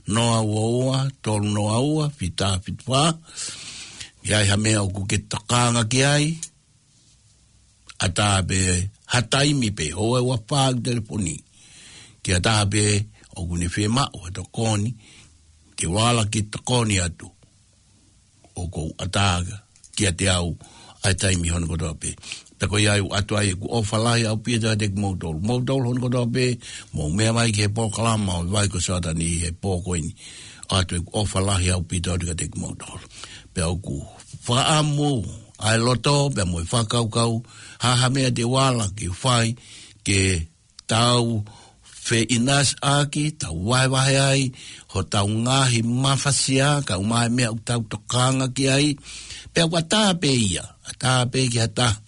Noa ua ua, tolu noa ua, fitu taha fitu fā. ʻI ai ha meʻa ʻoku ke tokanga ki ai, ʻatā pē ha taimi pē, ʻoua ʻe ua fā ʻeku telefoni. Ke ʻatā pē ʻoku ne fiemaʻu ha tokoni, ke vala ke tokoni atu, ʻoku ou ʻatā kiate au ʻa e taimi hono kotoa pē. Pea ko ia ai ʻoku ʻoatu ai ʻeku ʻofa lahi ʻaupito kiate kimoutolu. Moutolu hono kotoa pē, mou meʻa mai ki he polokalama ʻo e Vai ko Soatani he pō ko eni. ʻOatu ʻeku ʻofa lahi ʻaupito atu kiate kimoutolu. Pea ʻoku fakaʻamu ʻa e loto, pea mo e fakakaukau, ha ha meʻa te u ala ke fai, ke tau feʻinasiʻaki, tau vahevahe ai hotau ngaahi mafasia, kae ʻumaʻā e meʻa ʻoku tau tokanga ki ai. Pea ʻoku ʻatā pē ia, ʻatā pē ki ha taha.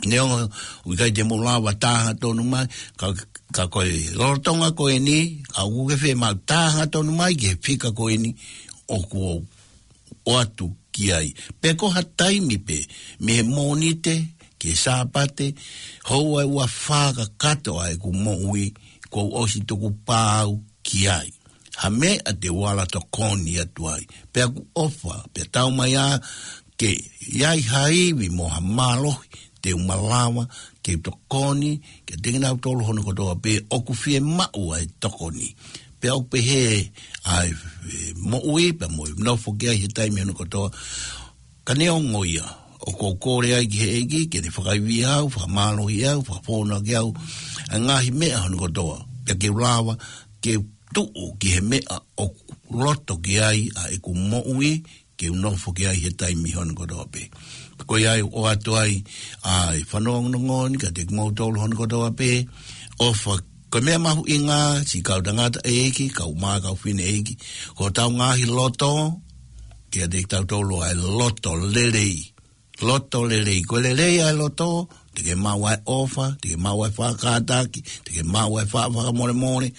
Neongo ʻoku ʻikai te mou lava tā hangatonu mai, ka, ka ko e lolotonga ko eni, ka ʻoku ke fiemaʻu tā hangatonu mai ki he fika ko eni, ʻoku ou ʻoatu ki ai. Pe ko ha taimi pē, mei he Mōnite ki he Sāpate, houa ʻe ua fā kakato ʻa ʻeku moʻui, kuo u ʻosi tuku pau ki ai. Ha meʻa te u ala tokoni atu ai. Pea ʻoku ʻofa, pea tau mai ā ke ʻi ai ha ivi mo ha mālohi, te u malava ke tokoni kiate kinautolu hono kotoa pē ʻoku fiemaʻu ʻa e tokoni. Pea ʻoku pehē ʻa e, e, moʻui, pea mo e nofo ki ai he taimi hono kotoa. Ka neongo ia, ʻoku ou kole ai ki he ʻEiki ke ne fakaivia au, fakamālohi au, fakafonu ʻaki au ʻa e ngaahi meʻa hono kotoa. Pea ke u lava ke u tuʻu ki he meʻa ʻoku loto ki ai ʻa ʻeku moʻui, ke u nofo ki ai he taimi hono kotoa pē. Ko ia ai ʻoku ʻoatu ai ʻa e fanongonongo ni kiate kimoutolu hono kotoa pē. ʻOfa, ko e meʻa mahuʻinga, siʻi kau tangataʻeiki, kau mā kau fineʻeiki, ko hotau ngaahi loto, kiate kitautolu ʻa e loto lelei. Loto lelei. Ko e lelei ʻa e loto, te ke maʻu ʻa e ʻofa, te ke maʻu ʻa e faʻa kātaki, te ke maʻu ʻa e faʻa fakamolemole.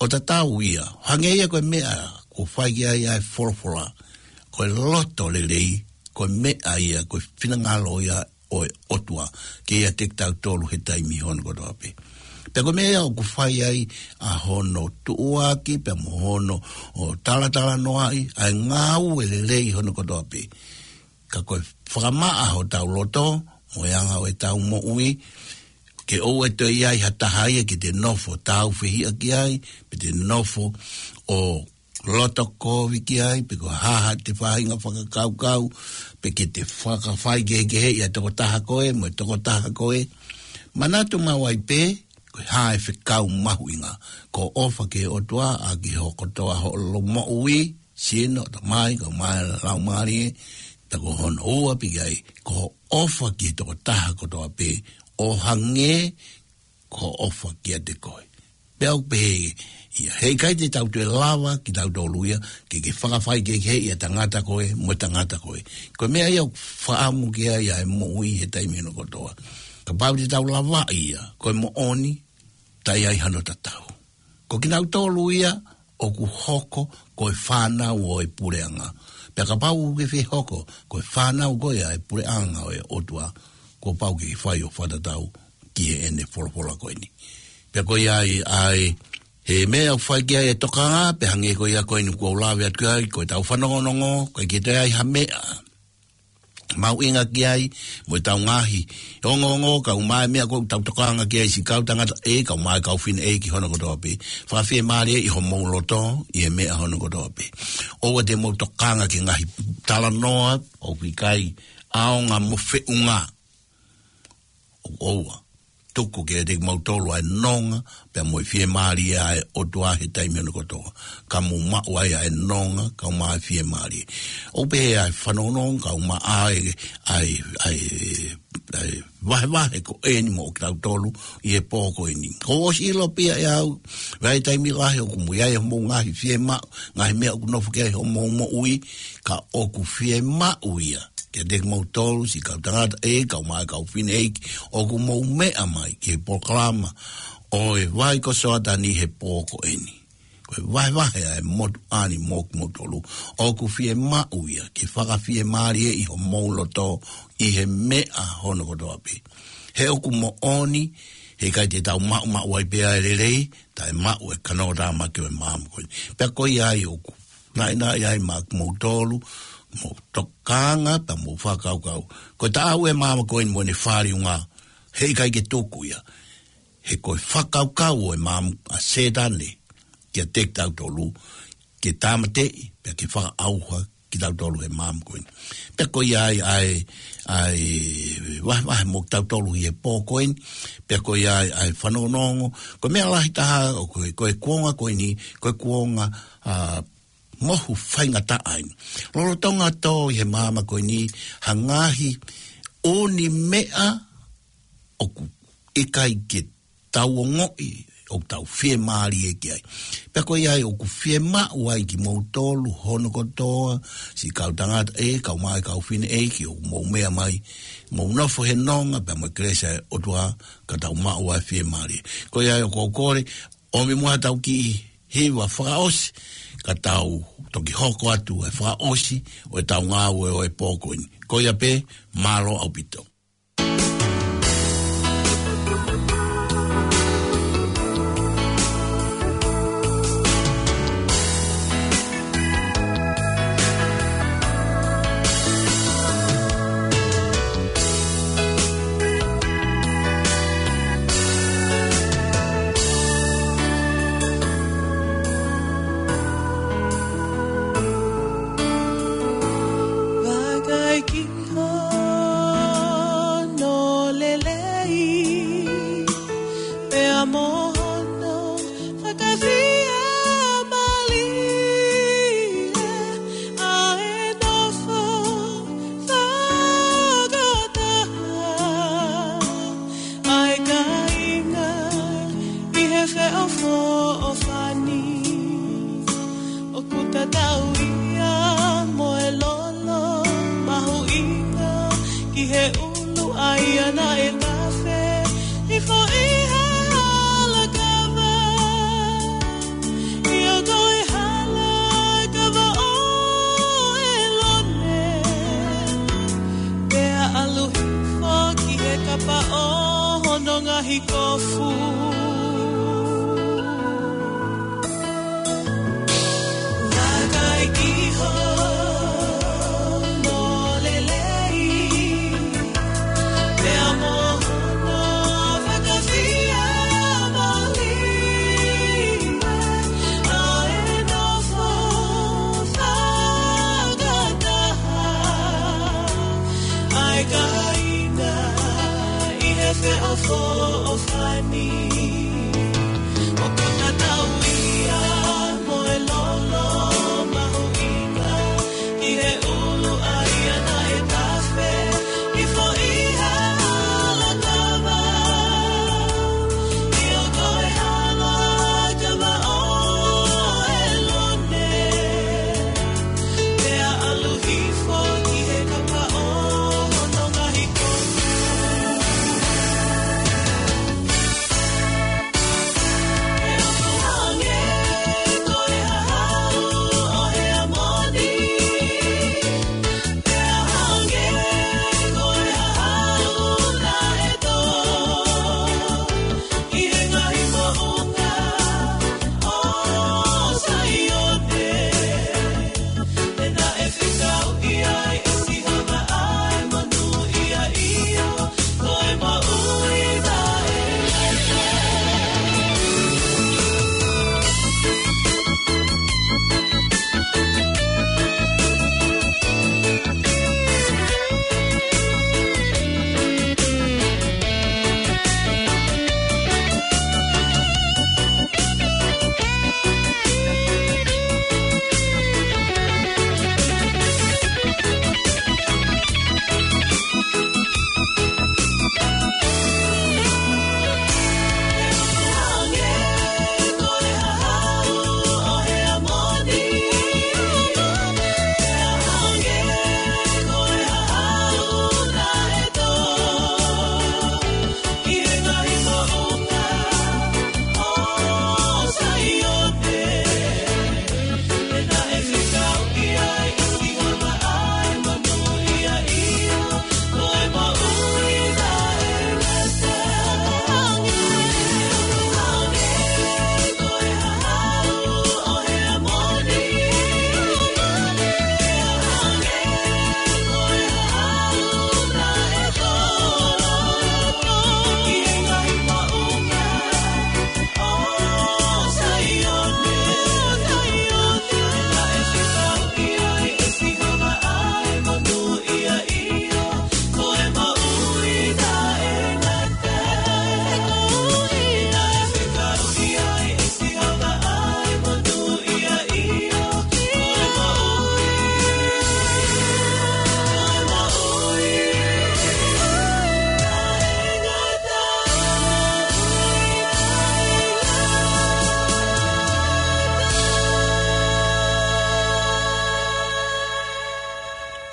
ʻO tatau ia, hangē ia ko e meʻa ʻoku fai ki ai ʻa e folofola. Ko e loto lelei, ko e meʻa ia, ko e finangalo ia ʻo e ʻOtua kiate kitautolu he taimi hono kotoa pē. Pea ko e meʻa ia ʻoku fai ai ʻa hono tuʻuaki, pea mo hono ʻo talatalanoaʻi ʻa e ngāue lelei hono kotoa pē. Ka ko e fakamaʻa hotau loto, mo e anga ʻo ʻetau moʻui, ke ʻoua ʻe toe ʻi ai ha taha ia ke te nofo tāufehiʻa ki ai, pe te nofo ʻo loto kovi ki ai, pe ko e hā ha ʻete faʻahinga fakakaukau, pe ke te fakafai kehekeheʻi ʻa e tokotaha ko ē mo e tokotaha ko ē. Manatu maʻu ai pē, ko e hā e fekau mahuʻinga. Ko e ʻofa ki he ʻOtua, ʻaki ho kotoa hoʻo moʻui, sino, tamai, kae ʻumaʻā e laumālie, pea ko hono ua pē ki ai, ko e ʻofa ki he tokotaha kotoa pē, ʻo hangē ko hoʻo ʻofa kiate koe. Pea ʻoku pehē ia, heʻikai te tau toe lava kitautolu ia, ke ke fakafai kehekeheʻi ʻa e tangata ko ē mo e tangata ko ē. Ko e meʻa ia ʻoku fakaʻamu ki ai ʻa e moʻui he taimi hono kotoa. Kapau te tau lavaʻi ia, ko e moʻoni, taʻe ʻi ai hano tatau. Ko kinautolu ia ʻoku hoko ko e fānau ʻo e puleʻanga. Pea kapau ʻoku ke fie hoko ko e fānau ko ia ʻo e puleʻanga ʻo e ʻOtua, kuo pau ke ke fai ʻo fakatatau ki heʻene folofola ko eni. Pea ko ia ai ʻa e, he meʻa ʻoku fai ki ai e tokanga, pea hangē ko ia ko eni kuo u lave atu ai, ko ʻetau fanongonongo, ʻoku ʻikai ke toe ʻi ai ha meʻa mahuʻinga ki ai, mo ʻetau ngaahi ongoongo, kae ʻumaʻā e meʻa ʻoku tau tokanga ki ai, siʻi kau tangataʻeiki, kae ʻumaʻā e kau fineʻeiki hono kotoa pē. Fakafiemālieʻi homou loto ʻi he meʻa hono kotoa pē. ʻOua te mou tokanga ki he ngaahi talanoa ʻoku ʻikai ʻaonga mo feʻunga. ʻOua. Tuku kiate kimautolu ʻa e nonga, pea mo e fiemālie ʻa e ʻOtua he taimi hono kotoa. Ka mou maʻu ai ʻa e nonga, kae ʻumaʻā e fiemālie. ʻOku pehē ʻa e fanongonongo, kae ʻumaʻā e, ʻa e, ʻa e, ʻa e vahevahe ko eni mo kitautolu ʻi he pō ko eni. Kuo ʻosi ʻilo pē ia ʻe au, ʻi he taimi lahi ʻoku mou ʻi ai homou ngaahi fiemaʻu, ngaahi meʻa ʻoku nofo ki ai homou moʻui, ka ʻoku fiemaʻu ia kiate kimoutolu, siʻi kau tangataʻeiki, kae ʻumaʻā e kau fineʻeiki, ʻoku mou meʻa mai ki he polokalama ʻo e Vai ko Soatani he pō ko eni. Ko e vahevahe ʻa e motuʻa ni mo kimoutolu. ʻOku fiemaʻu ia ke fakafiemālieʻi homou loto ʻi he meʻa hono kotoa pē. He ʻoku moʻoni, heʻikai te tau maʻumaʻu ai pē ʻa e lelei, taʻe maʻu e kanotamaki ʻo e maama ko eni. Pea ko ia ai ʻoku naʻinaʻi ai maʻa kimoutolu, mou tokanga, pea mou fakakaukau. Ko e taʻau e maama ko eni mo ʻene fāliunga, heʻikai ke tuku ia. He ko e fakakaukau ʻo e maama ʻa Sētane, kiate kitautolu, ke tāmateʻi, pea ke fakaʻauha kitautolu he maama ko eni. Pea ko ia ai, ʻa e, ʻa e vahevahe mo kitautolu ʻi he pō ko eni, pea ko ia ai, ʻa e fanongonongo, ko e meʻa lahi taha, ʻo ko e, ko e kuonga ko eni, ko e kuonga, ʻa, mohu faingataʻa eni. Lolotonga tō ʻi he maama ko eni, ha ngaahi ʻū meʻa ʻoku ʻikai ke tau ongoʻi, ʻoku tau fiemālie ki ai. Pea ko ia ai ʻoku fiemaʻu ai kimoutolu hono kotoa, siʻi kau tangataʻeiki, kae ʻumaʻā e kau fineʻeiki, ʻoku mou meʻa mai, mou nofo he nonga, pea mo e kelesi ʻa e ʻOtua, ka tau maʻu ʻa e fiemālie. Ko ia ai ʻoku ou kole, ʻomi muʻa ʻetau kiʻi hiva fakaʻosi, ka tau toki hoko atu e fakaʻosi ʻo ʻetau ngāue ʻo e pō ko eni. Ko ia pē, mālō ʻaupito. Tau ia mo e lolo mahuʻinga ki he ʻulu ʻa ia naʻe tafe hifo ʻi he hala kava. ʻIo, ko e hala kava ʻo ʻElone, pea ʻalu hifo ki he kapa ʻo hono ngaahi kofu. Vakai ki hono lelei, pea mo hono fakafiemālie, ʻa e nofo fakataha ʻa e kāinga ʻi he feʻofoʻofani. ʻOku tatau ia mo e lolo mahuʻinga ki he ʻulu ʻa ia naʻe tafe hifo ʻi he hala kava. ʻIo, ko e hala kava ʻo ʻElone, pea ʻalu hifo ki he kapa ʻo hono ngaahi kofu.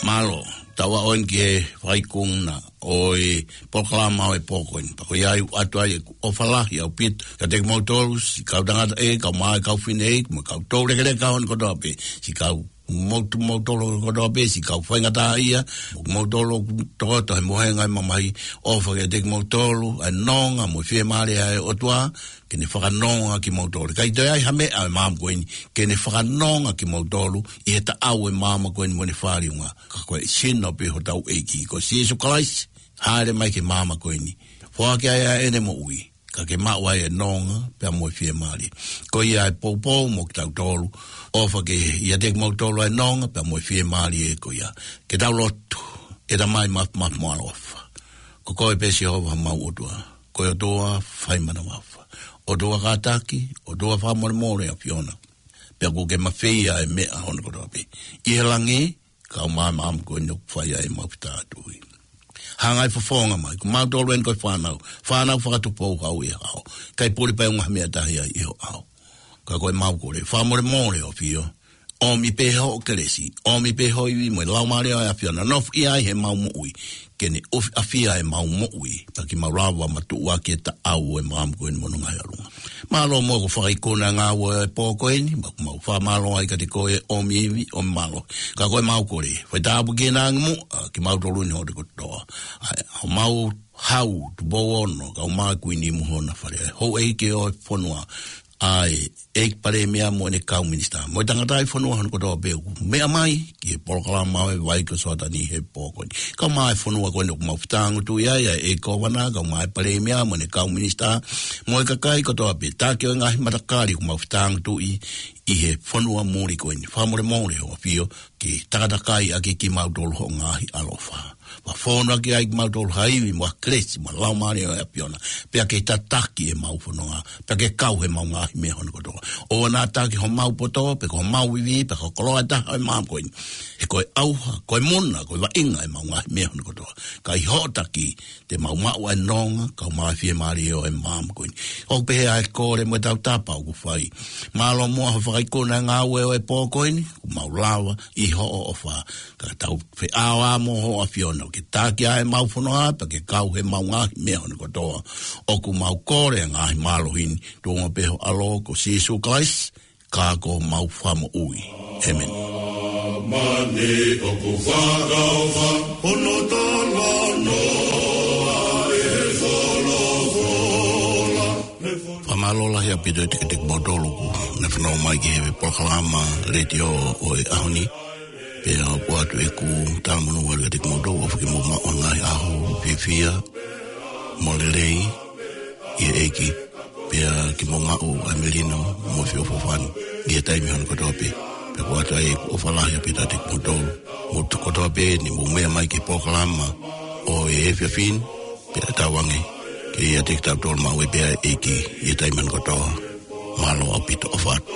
Mālō, tau ō eni ki he faikungna ʻo e polokalama ʻo e pō ko eni. Pea ko ia ai ʻoku ʻoatu ai ʻeku ʻofa lahi ʻaupito kiate kimoutolu, siʻi kau tangata ē, kau mā ē, kau fefine ē, mo e kau toulekeleka ʻo e ʻaho ni kotoa pē, siʻi kau motu moutolu kotoa pē, siʻi kau faingataʻaʻia, moutolu ʻoku tokoto he mohenga ʻi he mamahi, ʻofa kiate kimoutolu, ʻa e nonga mo e fiemālie ʻa e ʻOtua, ke ne fakanonga kimoutolu. ʻIkai toe ʻi ai ha meʻa ʻo e maama ko eni ke ne fakanonga kimoutolu ʻi he taʻau ʻo e maama ko eni mo ʻene fāliunga. Ka ko e sino pē hotau ʻEiki ko Sīsū Kalaisi, hāʻele mai ki he maama ko eni. Foaki ai ʻa ʻene moʻui, ka ke maʻu ai ʻa e nonga pea mo e fiemālie. Ko ia e poupou mo kitautolu, ʻofa ke ʻiate kimoutolu ʻa e nonga pea mo e fiemālie ko ia. Ke tau lotu. ʻE Tamai māfimafi mo ʻaloʻofa, ko koe pē Sihova homau ʻOtua. Ko e ʻOtua fai manavahē, ʻOtua kātaki, ʻOtua fakamolemole ʻa e ʻAfiona. Pea ʻoku ke mafeia ʻa e meʻa hono kotoa pē ʻi he langi, kae ʻumaʻā ʻa e maama ko eni ʻoku fai ai ʻemau fetātui. Hanga ʻo fofonga mai, ko mautolu eni ko e fānau, fānau fakatupou hau ʻi he ʻao. ʻIkai puli pē ʻa e ngaahi meʻa tahi ai ʻi ho ʻao. Ka ko ʻemau kole, fakamolemole ʻa e ʻAfio, ʻOmi pē hoʻo kelesi, ʻomi pē ho ivi mo e Laumālie ʻo e ʻAfiona, nofoʻia ai he mau moʻui, ke ne ʻofi ʻafia e mau moʻui, pea ke mau lava matuʻuaki e taʻau ʻo e maama ko eni mo hono ngaahi ʻalunga. Mālō muʻa ko e fakaikuna e ngāue ʻo e pō ko eni, mau, mau fakamālō ai kiate koe ʻomi ivi, ʻomi mālohi. Ka ko e mau kole, fai tāpuekina ange muʻa kimautolu ni hoʻo kotoa. ʻA e, ʻo mau hau, Tupou Ono, kau mai Kuini mo hona fale. Houʻeiki ʻo e fonua, ʻa e ʻEiki Palēmia mo ʻene kau minisitā. Mo e tangataʻi fonua hono kotoa pē ʻoku meʻa mai ki he polokalama ʻo e Vai ko Soatani he pō ko eni. Kau mai e fonua ko eni ʻoku mau fetāngutuʻi ai, ʻa e ʻEiki Kōvana, kau mai e Palēmia mo ʻene kau minisitā, mo e kakai kotoa pē, taki ʻo e ngaahi matakali ʻoku mau fetāngutuʻi ʻi he fonua muli ko eni. Fakamolemole hoʻo ʻafio ke takatakai ʻaki kimautolu hoʻo ngaahi ʻaloʻofa. Fakafonu ʻaki ai kimautolu ha ivi mo ha kelesi mo e Laumālie ʻo e ʻAfiona. Pea ke tataki e mau fononga, pea ke kau he mau ngaahi meʻa hono kotoa. ʻOua naʻa taki ho mau poto, pe ko ho mau ivi, pe ko ho koloa ʻe taha ʻo e maama ko eni. He ko e ʻauha, ko e muna, ko e vaʻinga e mau ngaahi meʻa hono kotoa. Ka ʻi hoʻo taki, te mau maʻu ʻa e nonga, kau mai e fiemālie ʻo e maama ko eni. ʻOku pehē ʻa e kole mo e tautapa ʻoku fai. Mālō muʻa hoʻo fakaikuna e ngāue ʻo e pō ko eni, ʻoku mau lava ʻi hoʻo ʻofa. Ka tau feʻaoa mo hoʻo ʻAfiona, ke taki ʻa e mau fononga, pea ke kau he mau ngaahi meʻa hono kotoa. ʻOku mau kole e ngaahi mālohi ni, tuʻunga pē ho ʻAlo ko Sīsū Kalaisi, ka ko homau Fakamoʻui. ʻĒmeni. Mani ʻoku fakaʻofa, hono talanoa ʻe folofola. Fakamālō lahi ʻaupito ʻiate kimoutolu ʻoku ne fanongo mai ki he polokalama letiō ʻo e ʻaho ni. Pea ʻoatu ʻeku talamonū atu kiate kimoutolu, ʻofa ke mou maʻu ha ngaahi ʻaho fiefia mo lelei ʻi he ʻEiki. Pea ke mou maʻu ʻa e melino mo e feʻofoʻofani ʻi he taimi hono kotoa pē. Pea ʻoku ʻoatu ai ʻeku ʻofa lahi ʻaupito kiate kimoutolu. Mou kotoa pē ni mou meʻa mai ki he polokalama ʻo e efiafi ni, pea tauange ke ʻiate kitautolu maʻu ai pē ʻa e ʻEiki ʻi he taimi hono kotoa. Mālō ʻaupito, ʻofa atu.